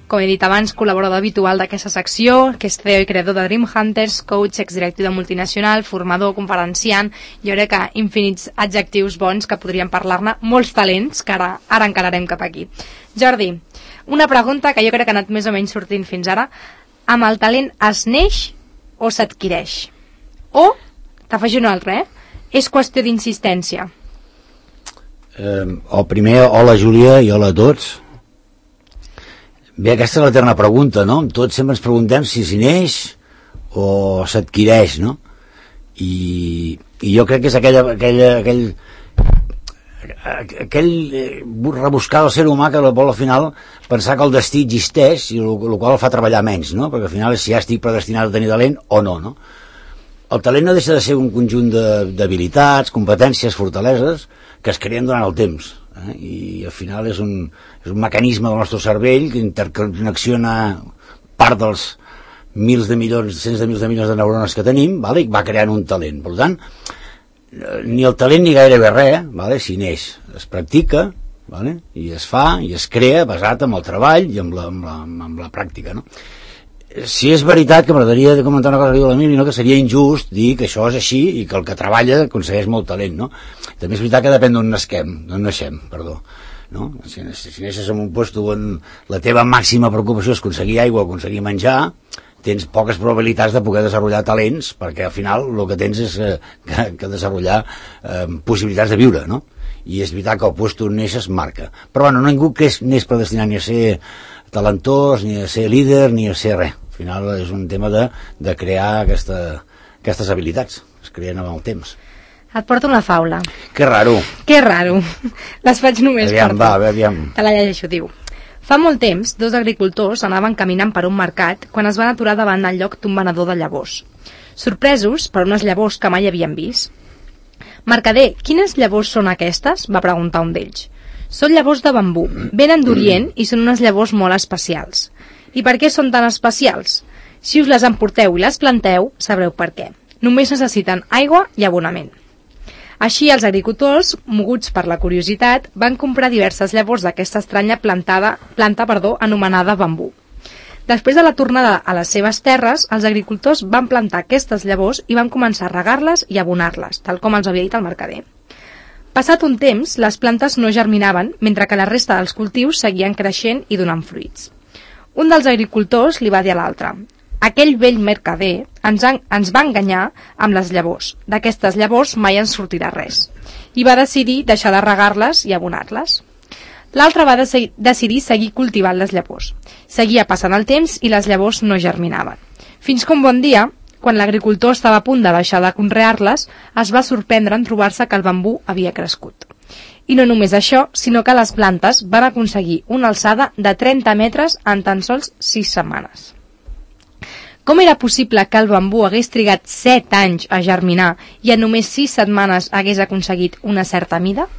com he dit abans, col·laborador habitual d'aquesta secció, que és CEO i creador de Dream Hunters, coach, exdirectiu de multinacional, formador, conferenciant, jo crec que infinits adjectius bons que podríem parlar-ne, molts talents, que ara encararem cap aquí. Jordi, una pregunta que jo crec que ha anat més o menys sortint fins ara. Amb el talent es neix o s'adquireix? O, t'afegeixo una altra, és qüestió d'insistència? Primer, hola Júlia i hola a tots. Bé, aquesta és l'eterna pregunta, no? Tots sempre ens preguntem si s'hi neix o s'adquireix, no? I jo crec que és aquell rebuscar del ser humà que vol al final pensar que el destí existeix i el qual el fa treballar menys, no? Perquè al final és si ja estic predestinat a tenir talent o no, no? El talent no deixa de ser un conjunt d'habilitats, competències, fortaleses que es creen durant el temps, i al final és un mecanisme del nostre cervell que interconnexiona part dels mils de milions, cents de milions de neurones que tenim, i va creant un talent. Per tant, ni el talent ni gairebé res, si neix, es practica, i es fa i es crea basat en el treball i amb la pràctica, no? Si és veritat que m'agradaria de comentar una cosa que diu l'Emili, no? Que seria injust dir que això és així i que el que treballa aconsegueix molt talent, no? També és veritat que depèn d'on naixem, no? Si neixes en un lloc on la teva màxima preocupació és aconseguir aigua o aconseguir menjar, tens poques probabilitats de poder desenvolupar talents, perquè al final el que tens és que desenvolupar possibilitats de viure, no? I és veritat que el lloc on neixes marca. Però bueno, ningú neix predestinat ni a ser talentós, ni a ser líder, ni a ser res. Al final és un tema de crear aquestes habilitats, es creen amb el temps. Et porto una faula. Que raro. Les faig només per tu. Aviam. Te la llegeixo, diu. Fa molt temps, dos agricultors anaven caminant per un mercat quan es van aturar davant del lloc d'un venedor de llavors. Sorpresos per unes llavors que mai havien vist. «Mercader, quines llavors són aquestes?», va preguntar un d'ells. «Són llavors de bambú, venen d'Orient i són unes llavors molt especials». «I per què són tan especials?». «Si us les emporteu i les planteu, sabreu per què. Només necessiten aigua i abonament». Així, els agricultors, moguts per la curiositat, van comprar diverses llavors d'aquesta estranya planta anomenada bambú. Després de la tornada a les seves terres, els agricultors van plantar aquestes llavors i van començar a regar-les i abonar-les, tal com els havia dit el mercader. Passat un temps, les plantes no germinaven, mentre que la resta dels cultius seguien creixent i donant fruits. Un dels agricultors li va dir a l'altre: aquell vell mercader ens va enganyar amb les llavors. D'aquestes llavors mai ens sortirà res. I va decidir deixar de regar-les i abonar-les. L'altre va decidir seguir cultivant les llavors. Seguia passant el temps i les llavors no germinaven. Fins que un bon dia, quan l'agricultor estava a punt de deixar de conrear-les, es va sorprendre en trobar-se que el bambú havia crescut. I no només això, sinó que les plantes van aconseguir una alçada de 30 metres en tan sols 6 setmanes. Com era possible que el bambú hagués trigat 7 anys a germinar i en només 6 setmanes hagués aconseguit una certa mida?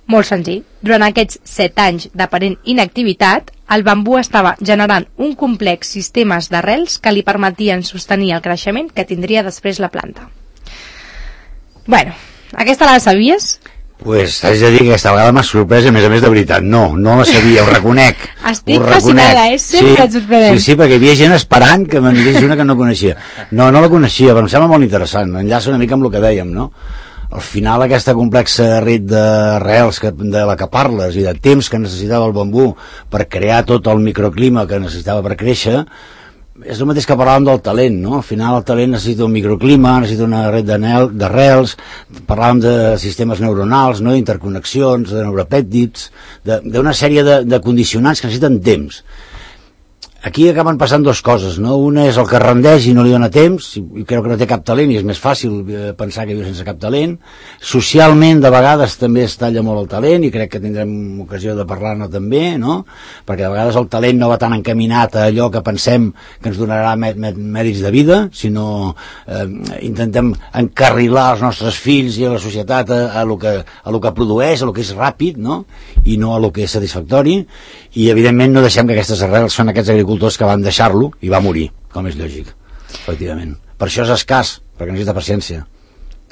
Molt senzill. Durant aquests 7 anys d'aparent inactivitat, el bambú estava generant un complex sistemes d'arrels que li permetien sostenir el creixement que tindria després la planta. Bueno, aquesta la sabies? Pues t'haig de dir que aquesta vegada m'ha sorprès, a més de veritat. No la sabia, ho reconec. Estic fascinada, sempre et sorprendent. Sí, perquè hi havia gent esperant que me'n digués una que no coneixia. No la coneixia, però em sembla molt interessant. Enllaça una mica amb el que dèiem, no? Al final aquesta complexa red d'arrels de la que parles i de temps que necessitava el bambú per crear tot el microclima que necessitava per créixer, és el mateix que parlàvem del talent, no? Al final el talent necessita un microclima, necessita una red d'arrels, parlàvem de sistemes neuronals, no? D'interconnexions, de neuropèptids, d'una sèrie de condicionants que necessiten temps. Aquí acaben passant dues coses, no? Una és el que rendeix i no li dona temps, i creu que no té cap talent i és més fàcil pensar que viu sense cap talent. Socialment, de vegades, també es talla molt el talent i crec que tindrem ocasió de parlar-ne també, no? Perquè de vegades el talent no va tan encaminat a allò que pensem que ens donarà mèrits de vida, sinó intentem encarrilar els nostres fills i a la societat a lo que produeix, a lo que és ràpid, no? I no a lo que és satisfactori, i evidentment no deixem que aquestes arrels són aquests agricultors que van deixar-lo i va morir, com és lògic, efectivament. Per això és escàs, perquè necessita paciència.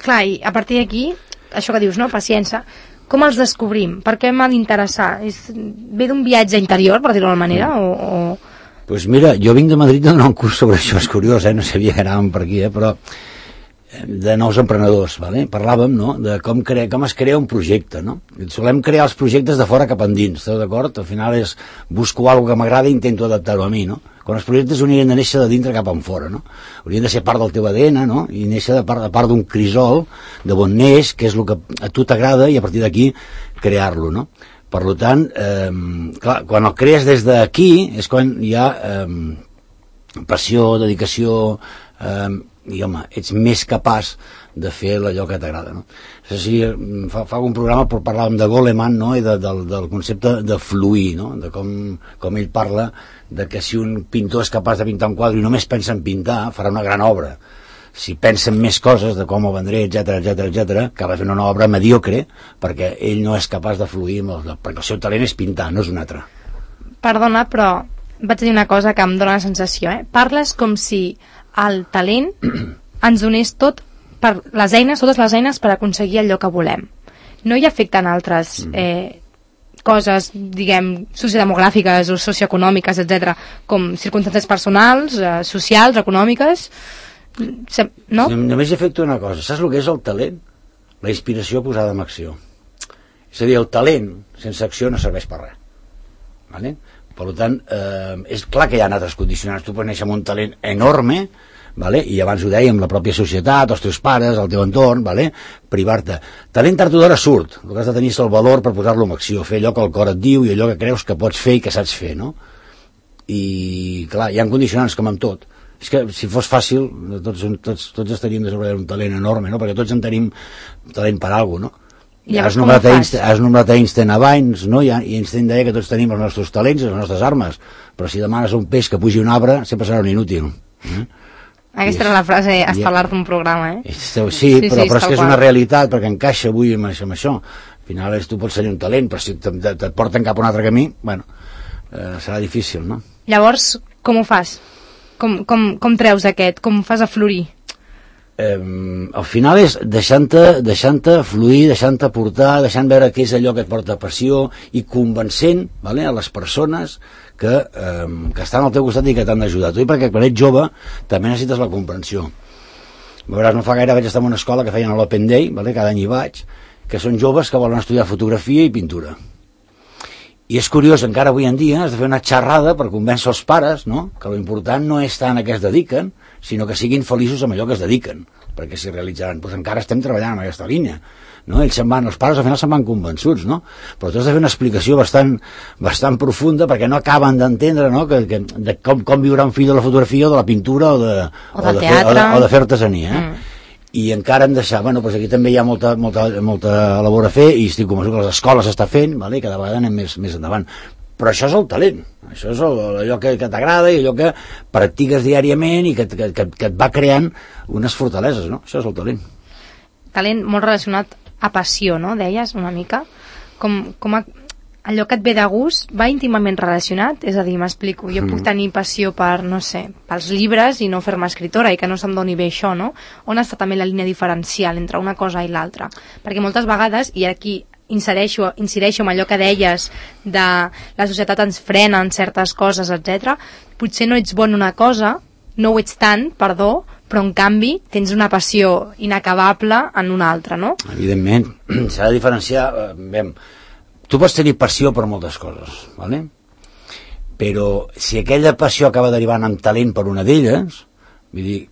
Clar, i a partir d'aquí, això que dius, no?, paciència, com els descobrim? Per què m'ha d'interessar? Ve d'un viatge interior, per dir-ho d'alguna manera, o...? Pues mira, jo vinc de Madrid a donar un curs sobre això, és curiós, no sabia que anàvem per aquí, però de nous emprenedors, ¿vale? Parlàvem, no?, de com es crea un projecte, no? Solem crear els projectes de fora cap endins, esteu d'acord? Al final busco alguna que m'agrada i intento adaptar-ho a mi, no? Quan els projectes haurien de néixer de dintre cap enfora, no? Haurien de ser part del teu ADN, no? I néixer de part d'un crisol de bon neix, que és el que a tu t'agrada, i a partir d'aquí crear-lo, no? Per tant, clar, quan el crees des d'aquí és quan hi ha passió, dedicació, i home, ets més capaç de fer allò que t'agrada, no? Fa un programa per parlar de Goleman, no? I del concepte de fluir, no? De com ell parla de que si un pintor és capaç de pintar un quadre i només pensa en pintar, farà una gran obra. Si pensa en més coses, de com ho vendré, etc, que va fer una obra mediocre, perquè ell no és capaç de fluir perquè el seu talent és pintar, no és un altre. Perdona, però vaig dir una cosa que em dóna la sensació, Parles com si el talent ens donés totes les eines per aconseguir allò que volem. No hi afecten altres coses, diguem, sociodemogràfiques o socioeconòmiques, etc, com circumstàncies personals, socials, econòmiques, no? Només hi afecta una cosa. Saps el que és el talent? La inspiració posada en acció. És a dir, el talent sense acció no serveix per res. Vale? Per tant, és clar que hi ha altres condicionants. Tu pots néixer amb un talent enorme, vale? I abans ho dèiem, la pròpia societat, els teus pares, el teu entorn, vale? Privar-te. Talent tard o d'hora surt. El que has de tenir és el valor per posar-lo en acció, fer allò que el cor et diu i allò que creus que pots fer i que saps fer, no? I clar, hi ha condicionants com amb tot. És que si fos fàcil tots estaríem desenvolupant un talent enorme, no? Perquè tots en tenim talent per alguna cosa, no? Has nombrat Einstein abans, no? I Einstein deia que tots tenim els nostres talents i les nostres armes, però si demanes a un peix que pugi un arbre sempre serà un inútil. Aquesta era la frase estel·lar d'un programa, Sí, però és que és una realitat, perquè encaixa avui amb això. Al final tu pots tenir un talent, però si et porten cap a un altre camí, bueno, serà difícil, no? Llavors, com ho fas? Com treus aquest? Com fas aflorir? al final és deixant-te fluir, deixant-te portar, deixant veure què és allò que et porta passió i convencent, vale, a les persones que estan al teu costat i que t'han d'ajudar. Tu, perquè quan ets jove també necessites la comprensió. Veuràs, no fa gaire vaig estar en una escola que feien a l'Open Day, vale, cada any hi vaig, que són joves que volen estudiar fotografia i pintura. I és curiós, encara avui en dia has de fer una xerrada per convèncer els pares, no?, que l'important no és tant a què es dediquen, sinó que siguin feliços amb allò que es dediquen, perquè s'hi realitzaran. Doncs encara estem treballant en aquesta línia, no? Els pares al final se'n van convençuts, no? Però tu has de fer una explicació bastant profunda perquè no acaben d'entendre, no?, de com viurà un fill de la fotografia o de la pintura o de fer artesania, i encara hem de deixar, bueno, doncs aquí també hi ha molta labor a fer i estic convençut que les escoles s'està fent, vale? I cada vegada anem més endavant. Però això és el talent, això és allò que t'agrada i allò que practiques diàriament i que et va creant unes fortaleses, no? Això és el talent. Talent molt relacionat a passió, no? Deies una mica. Allò que et ve de gust va íntimament relacionat, és a dir, m'explico, jo puc tenir passió per, no sé, pels llibres i no fer-me escriptora i que no se'm doni bé això, no? On està també la línia diferencial entre una cosa i l'altra? Perquè moltes vegades, i aquí incideixo en allò que deies de la societat ens frena en certes coses, etc. Potser no ets bon en una cosa, no ho ets tant, perdó, però en canvi tens una passió inacabable en una altra, no? Evidentment, s'ha de diferenciar. Tu pots tenir passió per moltes coses, ¿vale? Però si aquella passió acaba derivant en talent per una d'elles, vull dir,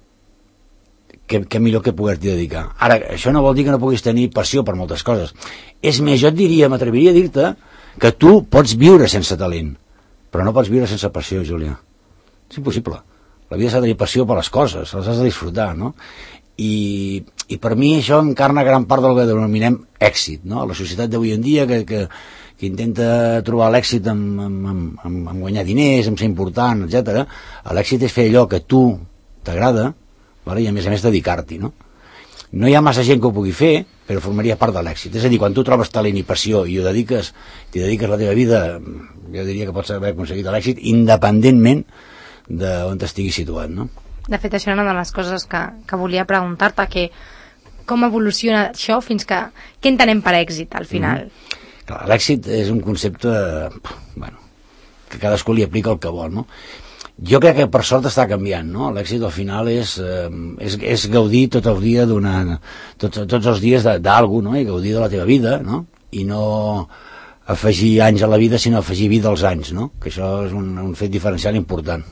què millor que poder-t'hi dedicar. Ara, això no vol dir que no puguis tenir passió per moltes coses. És més, jo et diria, m'atreviria a dir-te que tu pots viure sense talent, però no pots viure sense passió, Júlia. És impossible. La vida s'ha de tenir passió per les coses, les has de disfrutar, no? I per mi això encarna gran part del que denominem èxit, no? La societat d'avui en dia que intenta trobar l'èxit en guanyar diners, en ser important, etc. L'èxit és fer allò que tu t'agrada, vale? I a més dedicar-t'hi, no? No hi ha massa gent que ho pugui fer, però formaria part de l'èxit. És a dir, quan tu trobes talent i passió i t'hi dediques la teva vida, jo diria que pots haver aconseguit l'èxit independentment d'on t'estiguis situat, no? De fet, això era una de les coses que volia preguntar-te, que com evoluciona això fins que... Què entenem per èxit, al final? Clar, l'èxit és un concepte, que cadascú li aplica el que vol, no? Jo crec que per sort està canviant, no? L'èxit al final és gaudir tot el dia tots els dies d'algú, no? I gaudir de la teva vida, no? I no afegir anys a la vida, sinó afegir vida als anys, no? Que això és un fet diferencial important,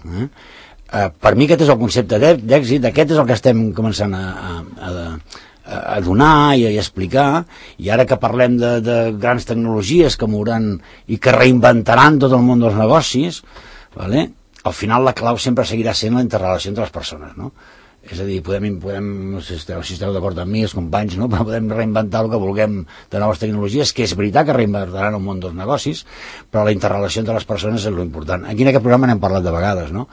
per mi aquest és el concepte d'èxit, aquest és el que estem començant a donar i a explicar, i ara que parlem de grans tecnologies que mouran i que reinventaran tot el món dels negocis, vale? Al final la clau sempre seguirà sent la interrelació entre les persones, no? És a dir, podem si esteu d'acord amb mi, els companys, no? Podem reinventar el que vulguem de noves tecnologies, que és veritat que reinventaran el món dels negocis, però la interrelació entre les persones és l'important. Aquí en aquest programa n'hem parlat de vegades, no?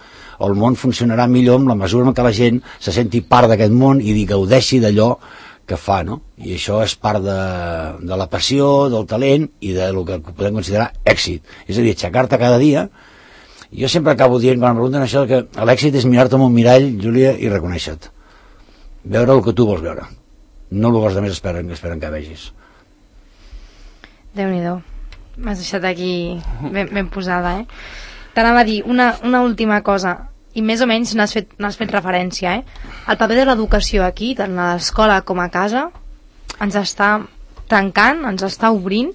El món funcionarà millor en la mesura en què la gent se senti part d'aquest món i gaudeixi d'allò que fa, no? I això és part de la passió, del talent i del que podem considerar èxit. És a dir, aixecar-te cada dia. Jo sempre acabo dient, quan em pregunten això, que l'èxit és mirar-te en un mirall, Júlia, i reconèixer-te. Veure el que tu vols veure. No el que els altres esperen que vegis. Déu-n'hi-do. M'has deixat aquí ben posada, T'anava a dir una última cosa, i més o menys n'has fet referència, El paper de l'educació aquí, tant a l'escola com a casa, ens està tancant, ens està obrint?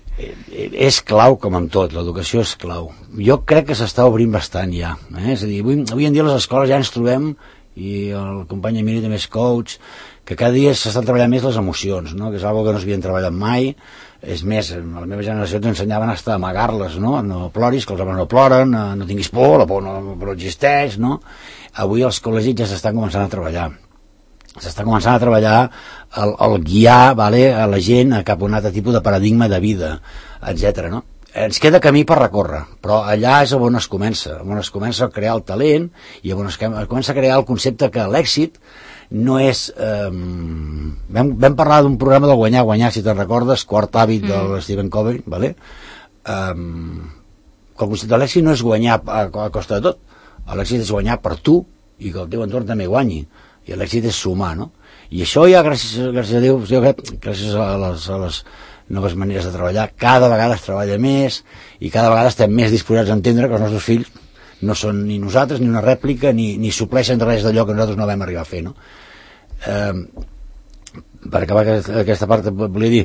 És clau, com amb tot, l'educació és clau. Jo crec que s'està obrint bastant ja. És a dir, avui en dia a les escoles ja ens trobem, i el company Emili també és coach, que cada dia s'estan treballant més les emocions, no? Que és una cosa que no s'havien treballat mai. És més, a la meva generació t'ensenyaven a amagar-les, no? No ploris, que els homes no ploren, no tinguis por, la por no existeix, no? Avui els col·legis ja s'estan començant a treballar. S'està començant a treballar el guiar, vale, a la gent cap a un altre tipus de paradigma de vida, etc. No? Ens queda camí per recórrer, però allà és on es comença a crear el talent i on es comença a crear el concepte que l'èxit no és... Vam parlar d'un programa del guanyar, si te'n recordes, Quart hàbit del Stephen Covey, vale? Que el concepte de l'èxit no és guanyar a costa de tot, l'èxit és guanyar per tu i que el teu entorn també guanyi. i l'èxit és sumar, no? I això ja, gràcies a Déu, jo crec, gràcies a les noves maneres de treballar, cada vegada es treballa més i cada vegada estem més disposats a entendre que els nostres fills no són ni nosaltres, ni una rèplica, ni supleixen res d'allò que nosaltres no vam arribar a fer, no? Per acabar aquesta part volia dir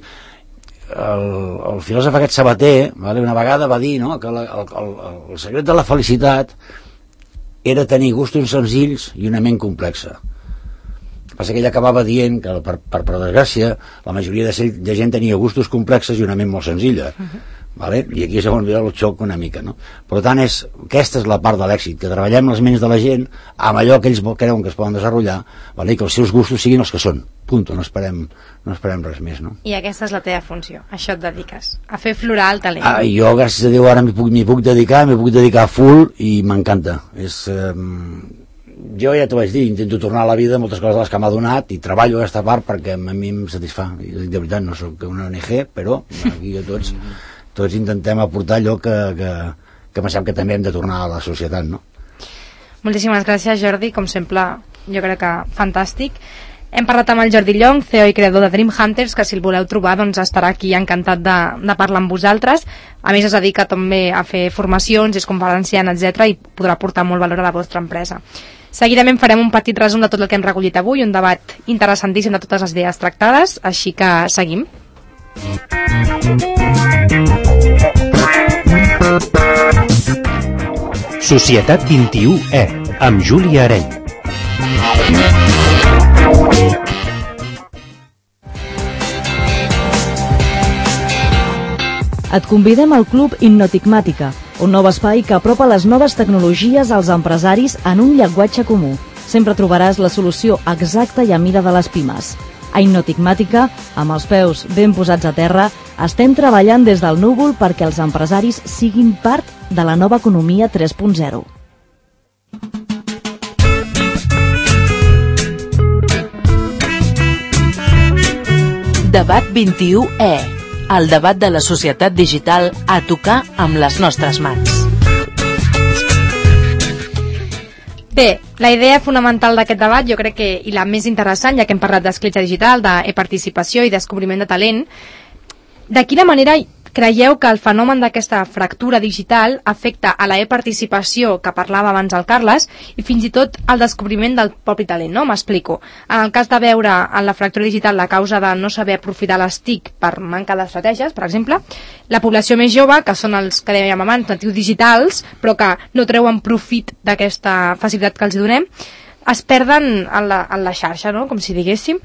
el filòsof aquest Sabater, vale, una vegada va dir, no, que el secret de la felicitat era tenir gustos senzills i una ment complexa. El que passa que ell acabava dient que per desgràcia la majoria de gent tenia gustos complexes i una ment molt senzilla. Vale? I aquí és on ve el xoc una mica, no? Per tant, aquesta és la part de l'èxit, que treballem les ments de la gent amb allò que ells creuen que es poden desenvolupar, vale? I que els seus gustos siguin els que són, punto, no esperem res més, no? I aquesta és la teva funció, a això et dediques, a fer florar el talent. Jo, gràcies a Déu, ara m'hi puc dedicar full i m'encanta. Jo ja t'ho vaig dir, intento tornar a la vida moltes coses de les que m'ha donat i treballo aquesta part perquè a mi em satisfà. I de veritat no soc una ONG, però aquí tots intentem aportar allò que pensem que també hem de tornar a la societat, no? Moltíssimes gràcies, Jordi, com sempre jo crec que fantàstic. Hem parlat amb el Jordi Llong, CEO i creador de Dream Hunters, que si el voleu trobar doncs estarà aquí encantat de parlar amb vosaltres. A més es dedica també a fer formacions, és conferenciant, etc, i podrà aportar molt valor a la vostra empresa. Seguidament farem un petit resum de tot el que hem recollit avui, un debat interessantíssim de totes les idees tractades, així que seguim. Societat 21E, amb Júlia Areny. Et convidem al Club Innotigmàtica, un nou espai que apropa les noves tecnologies als empresaris en un llenguatge comú. Sempre trobaràs la solució exacta i a mida de les pimes. A Innotigmàtica, amb els peus ben posats a terra, estem treballant des del núvol perquè els empresaris siguin part de la nova economia 3.0. Debat 21E, el debat de la societat digital a tocar amb les nostres mans. Bé, la idea fonamental d'aquest debat, jo crec que, i la més interessant, ja que hem parlat d'escletxa digital, d'e-participació i descobriment de talent, de quina manera creieu que el fenomen d'aquesta fractura digital afecta a la e-participació que parlava abans el Carles i fins i tot al descobriment del propi talent, no? M'explico. En el cas de veure en la fractura digital la causa de no saber aprofitar les TIC per manca d'estratègies, per exemple, la població més jove, que són els que dèiem abans, natius digitals, però que no treuen profit d'aquesta facilitat que els donem, es perden en la xarxa, no? Com si diguéssim.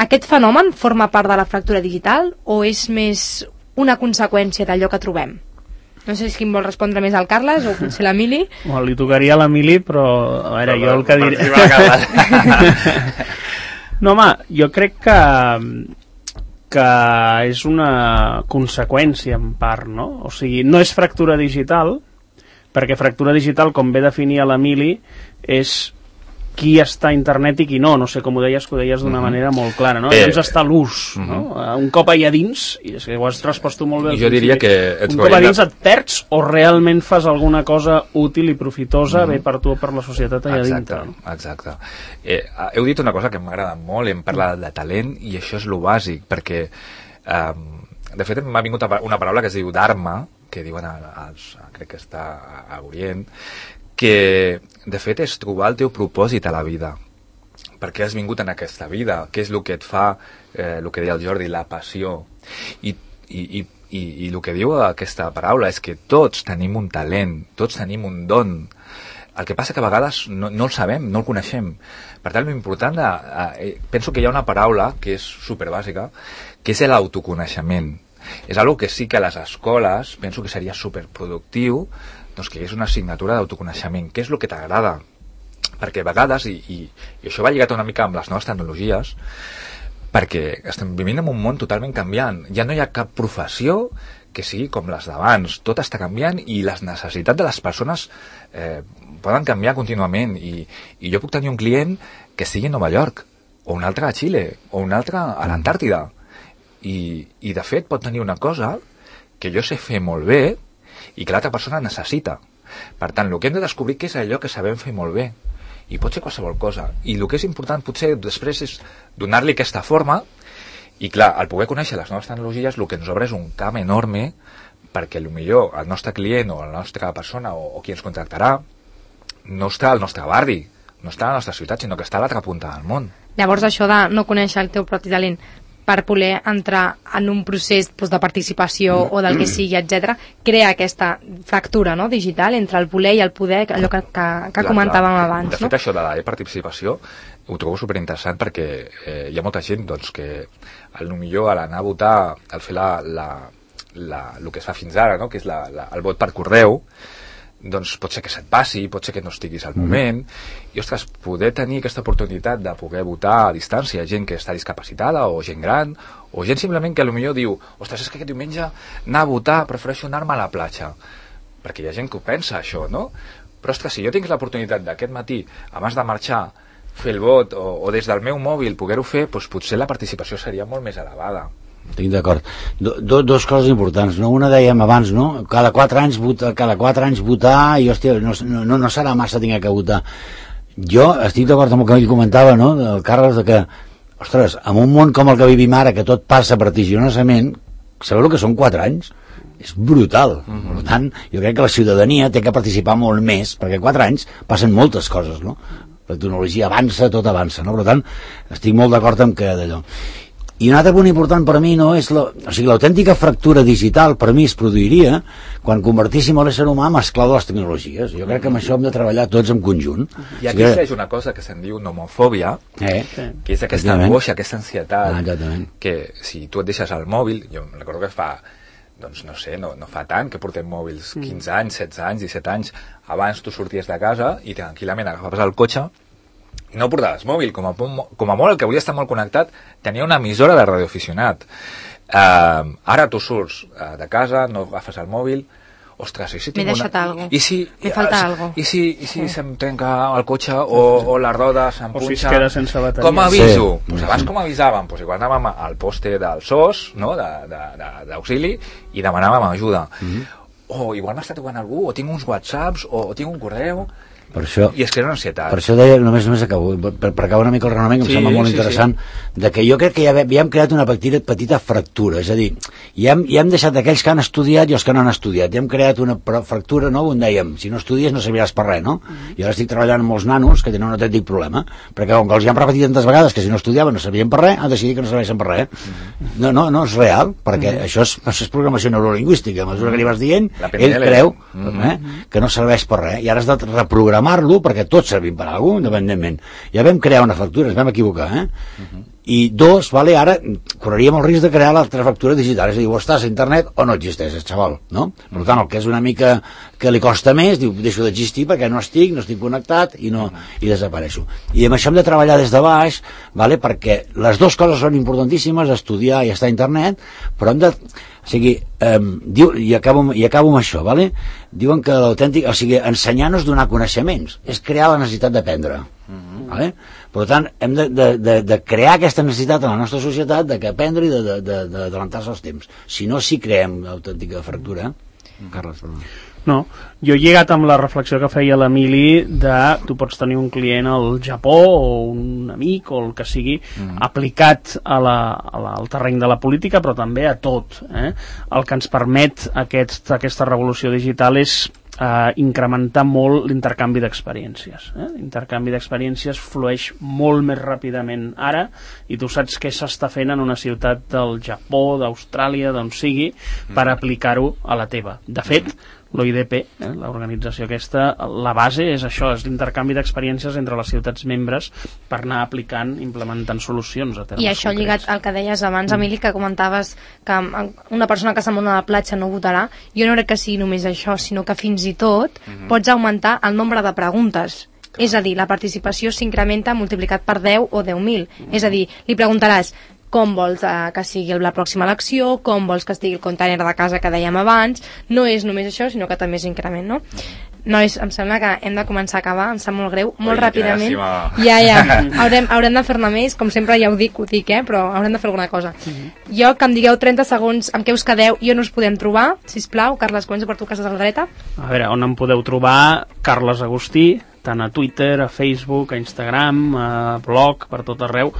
Aquest fenomen forma part de la fractura digital o és més una conseqüència d'allò que trobem? No sé si qui vol respondre més al Carles o potser l'Emili. Bueno, li tocaria a l'Emili, però a veure, jo el que diré... No, home, jo crec que és una conseqüència en part, no? O sigui, no és fractura digital, perquè fractura digital, com bé definia l'Emili, és qui està a internet i qui no sé com ho deies, que ho deies d'una manera molt clara, no? Llavors està l'ús, no? Un cop allà dins, i és que ho has respost tu molt bé, jo diria que un cop allà dins et perds o realment fas alguna cosa útil i profitosa bé per tu o per la societat allà dintre. Exacte. Heu dit una cosa que m'agrada molt, hem parlat de talent i això és lo bàsic, perquè de fet m'ha vingut una paraula que es diu dharma, que diuen crec que està a Orient, que de fet és trobar el teu propòsit a la vida. Per què has vingut en aquesta vida? Què és el que et fa, el que deia el Jordi, la passió? I el que diu aquesta paraula és que tots tenim un talent, tots tenim un don. El que passa que a vegades no el sabem, no el coneixem. Per tant, l'important, penso que hi ha una paraula que és superbàsica, que és l'autoconeixement. És una que sí que a les escoles penso que seria superproductiu, doncs que és una assignatura d'autoconeixement. Què és el que t'agrada? Perquè a vegades, i això va lligat una mica amb les noves tecnologies, perquè estem vivint en un món totalment canviant. Ja no hi ha cap professió que sigui com les d'abans. Tot està canviant i les necessitats de les persones poden canviar contínuament. I jo puc tenir un client que estigui a Nova York, o un altre a Xile, o un altre a l'Antàrtida. I de fet pot tenir una cosa que jo sé fer molt bé i que l'altra persona necessita. Per tant, el que hem de descobrir què és allò que sabem fer molt bé i pot ser qualsevol cosa, i el que és important potser després és donar-li aquesta forma, i clar, al poder conèixer les noves tecnologies el que ens obre és un camp enorme perquè potser el nostre client o la nostra persona o qui ens contractarà no està al nostre barri, no està a la nostra ciutat, sinó que està a l'altra punta del món. Llavors això de no conèixer el teu propi talent per poder entrar en un procés de participació o del que sigui, etc., crea aquesta fractura, no?, digital entre el voler i el poder, allò que comentàvem abans. De fet, això de la participació ho trobo superinteressant perquè hi ha molta gent doncs, que potser a l'anar a votar, al fer el que es fa fins ara, no?, que és el vot per correu, doncs pot ser que se't passi, pot ser que no estiguis al moment, i ostres, poder tenir aquesta oportunitat de poder votar a distància, gent que està discapacitada o gent gran, o gent simplement que potser diu, ostres, és que aquest diumenge anar a votar, prefereixo anar-me a la platja, perquè hi ha gent que ho pensa això, no? Però ostres, si jo tinc l'oportunitat d'aquest matí, abans de marxar, fer el vot o des del meu mòbil poder-ho fer, doncs potser la participació seria molt més elevada. Estic d'acord. Dos coses importants, no? Una dèiem abans, no? Cada 4 anys votar i, hòstia, no serà massa tinc que votar. Jo estic d'acord amb el que ell comentava, no?, el Carles, de que, ostres, en un món com el que vivim ara, que tot passa vertiginosament, sabeu el que són 4 anys? És brutal. Per tant, jo crec que la ciutadania té que participar molt més, perquè 4 anys passen moltes coses, no? La tecnologia avança, tot avança, no? Per tant, estic molt d'acord amb que d'allò. I un altre punt important per a mi, no, és l'autèntica fractura digital per a mi es produiria quan convertíssim l'ésser humà en esclau de les tecnologies. Jo crec que amb això hem de treballar tots en conjunt. I aquí és una cosa que se'n diu nomofòbia, que és aquesta angoixa, aquesta ansietat, que si tu et deixes el mòbil, jo recordo que fa, doncs no sé, no fa tant que portem mòbils, 15 anys, 16 anys, 17 anys, abans tu sorties de casa i tranquil·lament agafaves el cotxe, no portaves mòbil, com a molt el que volia estar molt connectat tenia una emissora de radioaficionat. Ara tu surts de casa, no agafes el mòbil, ostres, i si tinc m'he deixat alguna cosa, me falta alguna cosa, i si se'm trenca el cotxe o la roda se'm punxa, o si es queda sense bateria, com aviso? Pues abans com avisàvem? Pues igual anàvem al poste del SOS, no?, d'auxili, i demanàvem ajuda. O igual m'està trucant algú, o tinc uns whatsapps, o tinc un correu. Per això, i és que és una ansietat. Per això deia, només acabo, per acabar una mica el raonament, que em sembla molt interessant, de que jo crec que ja hem creat una petita fractura, és a dir, ja hem deixat aquells que han estudiat i els que no han estudiat, ja hem creat una fractura, no?, on dèiem, si no estudies no serviràs per res, no? I ara estic treballant amb molts nanos que tenen un autèntic problema, perquè com que els hi han repetit tantes vegades que si no estudiaven no servien per res, han decidit que no serveixen per res. No és real, perquè això és programació neurolingüística, a mesura que li vas dient, ell creu que no serveix per res, i ara has de reprogramar-lo perquè tots servim per alguna cosa, independentment. Ja vam crear una fractura, ens vam equivocar, I dos, ara correríem el risc de crear l'altra fractura digital, és a dir, o estàs a internet o no existeixes, xaval, no? Per tant, el que és una mica que li costa més, diu, deixo d'existir perquè no estic connectat i desapareixo. I amb això hem de treballar des de baix, perquè les dues coses són importantíssimes, estudiar i estar a internet, però hem de... O sigui, i acabo amb això, diuen que l'autèntic, o sigui, ensenyar no és donar coneixements, és crear la necessitat d'aprendre. Per tant, hem de crear aquesta necessitat en la nostra societat de aprendre i d'adelantar-se als temps. Si no, sí creem l'autèntica fractura. Carles, perdó. No, jo he lligat amb la reflexió que feia l'Emili de tu pots tenir un client al Japó o un amic o el que sigui aplicat al terreny de la política, però també a tot. El que ens permet aquesta revolució digital és incrementar molt l'intercanvi d'experiències. L'intercanvi d'experiències flueix molt més ràpidament ara i tu saps què s'està fent en una ciutat del Japó, d'Austràlia, d'on sigui, per aplicar-ho a la teva. De fet, l'OIDP, l'organització aquesta, la base és això, és l'intercanvi d'experiències entre les ciutats membres per anar aplicant, implementant solucions a termes I això concrets. Lligat al que deies abans, Emili, que comentaves que una persona que se'n va a la platja no votarà, jo no crec que sigui només això, sinó que fins i tot pots augmentar el nombre de preguntes. És a dir, la participació s'incrementa multiplicat per 10 o 10.000. És a dir, li preguntaràs com vols que sigui la pròxima elecció, com vols que estigui el container de casa que dèiem abans. No és només això, sinó que també és increment, no? Nois, em sembla que hem de començar a acabar, em sap molt greu, molt ràpidament. Haurem de fer-ne més, com sempre ja ho dic, però haurem de fer alguna cosa. Jo, que em digueu 30 segons amb què us quedeu i on us podem trobar, sisplau. Carles, comença per tu, que estàs a la dreta. A veure, on em podeu trobar? Carles Agustí, tant a Twitter, a Facebook, a Instagram, a blog, per tot arreu,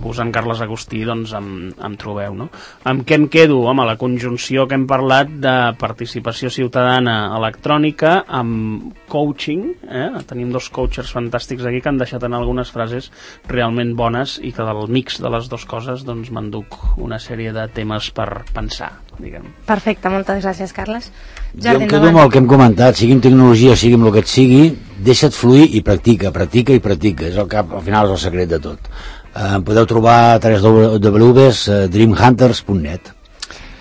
posant Carles Agustí, doncs em trobeu, no? Amb què em quedo? Home, la conjunció que hem parlat de participació ciutadana electrònica amb coaching, tenim dos coachers fantàstics aquí que han deixat en algunes frases realment bones i que del mix de les dues coses doncs m'enduc una sèrie de temes per pensar, diguem. Perfecte, moltes gràcies, Carles. Jo em quedo amb el que hem comentat, sigui en tecnologia, sigui amb el que et sigui, deixa't fluir i practica, és el que al final és el secret de tot. Podeu trobar a www.dreamhunters.net.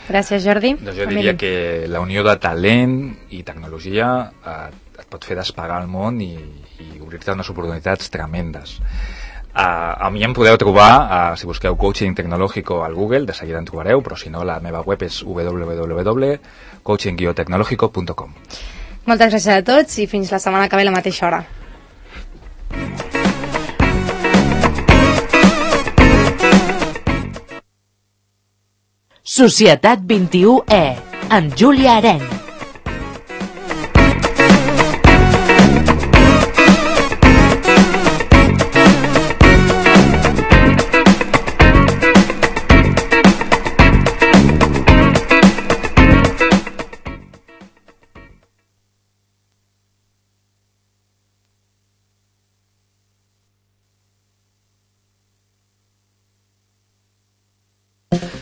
Gràcies, Jordi. Doncs jo diria que la unió de talent i tecnologia et pot fer despegar el món i obrir-te unes oportunitats tremendes. A mi em podeu trobar, si busqueu coaching tecnológico al Google, de seguida en trobareu, però si no, la meva web és www.coaching-tecnológico.com. Moltes gràcies a tots i fins la setmana que ve a la mateixa hora. Societat 21E, amb Júlia Areny.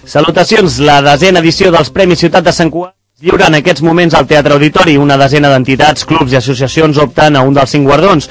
Salutacions, la 10ª edició dels Premis Ciutat de Sant Cugat lliura en aquests moments al Teatre Auditori. Una desena d'entitats, clubs i associacions opten a un dels 5 guardons.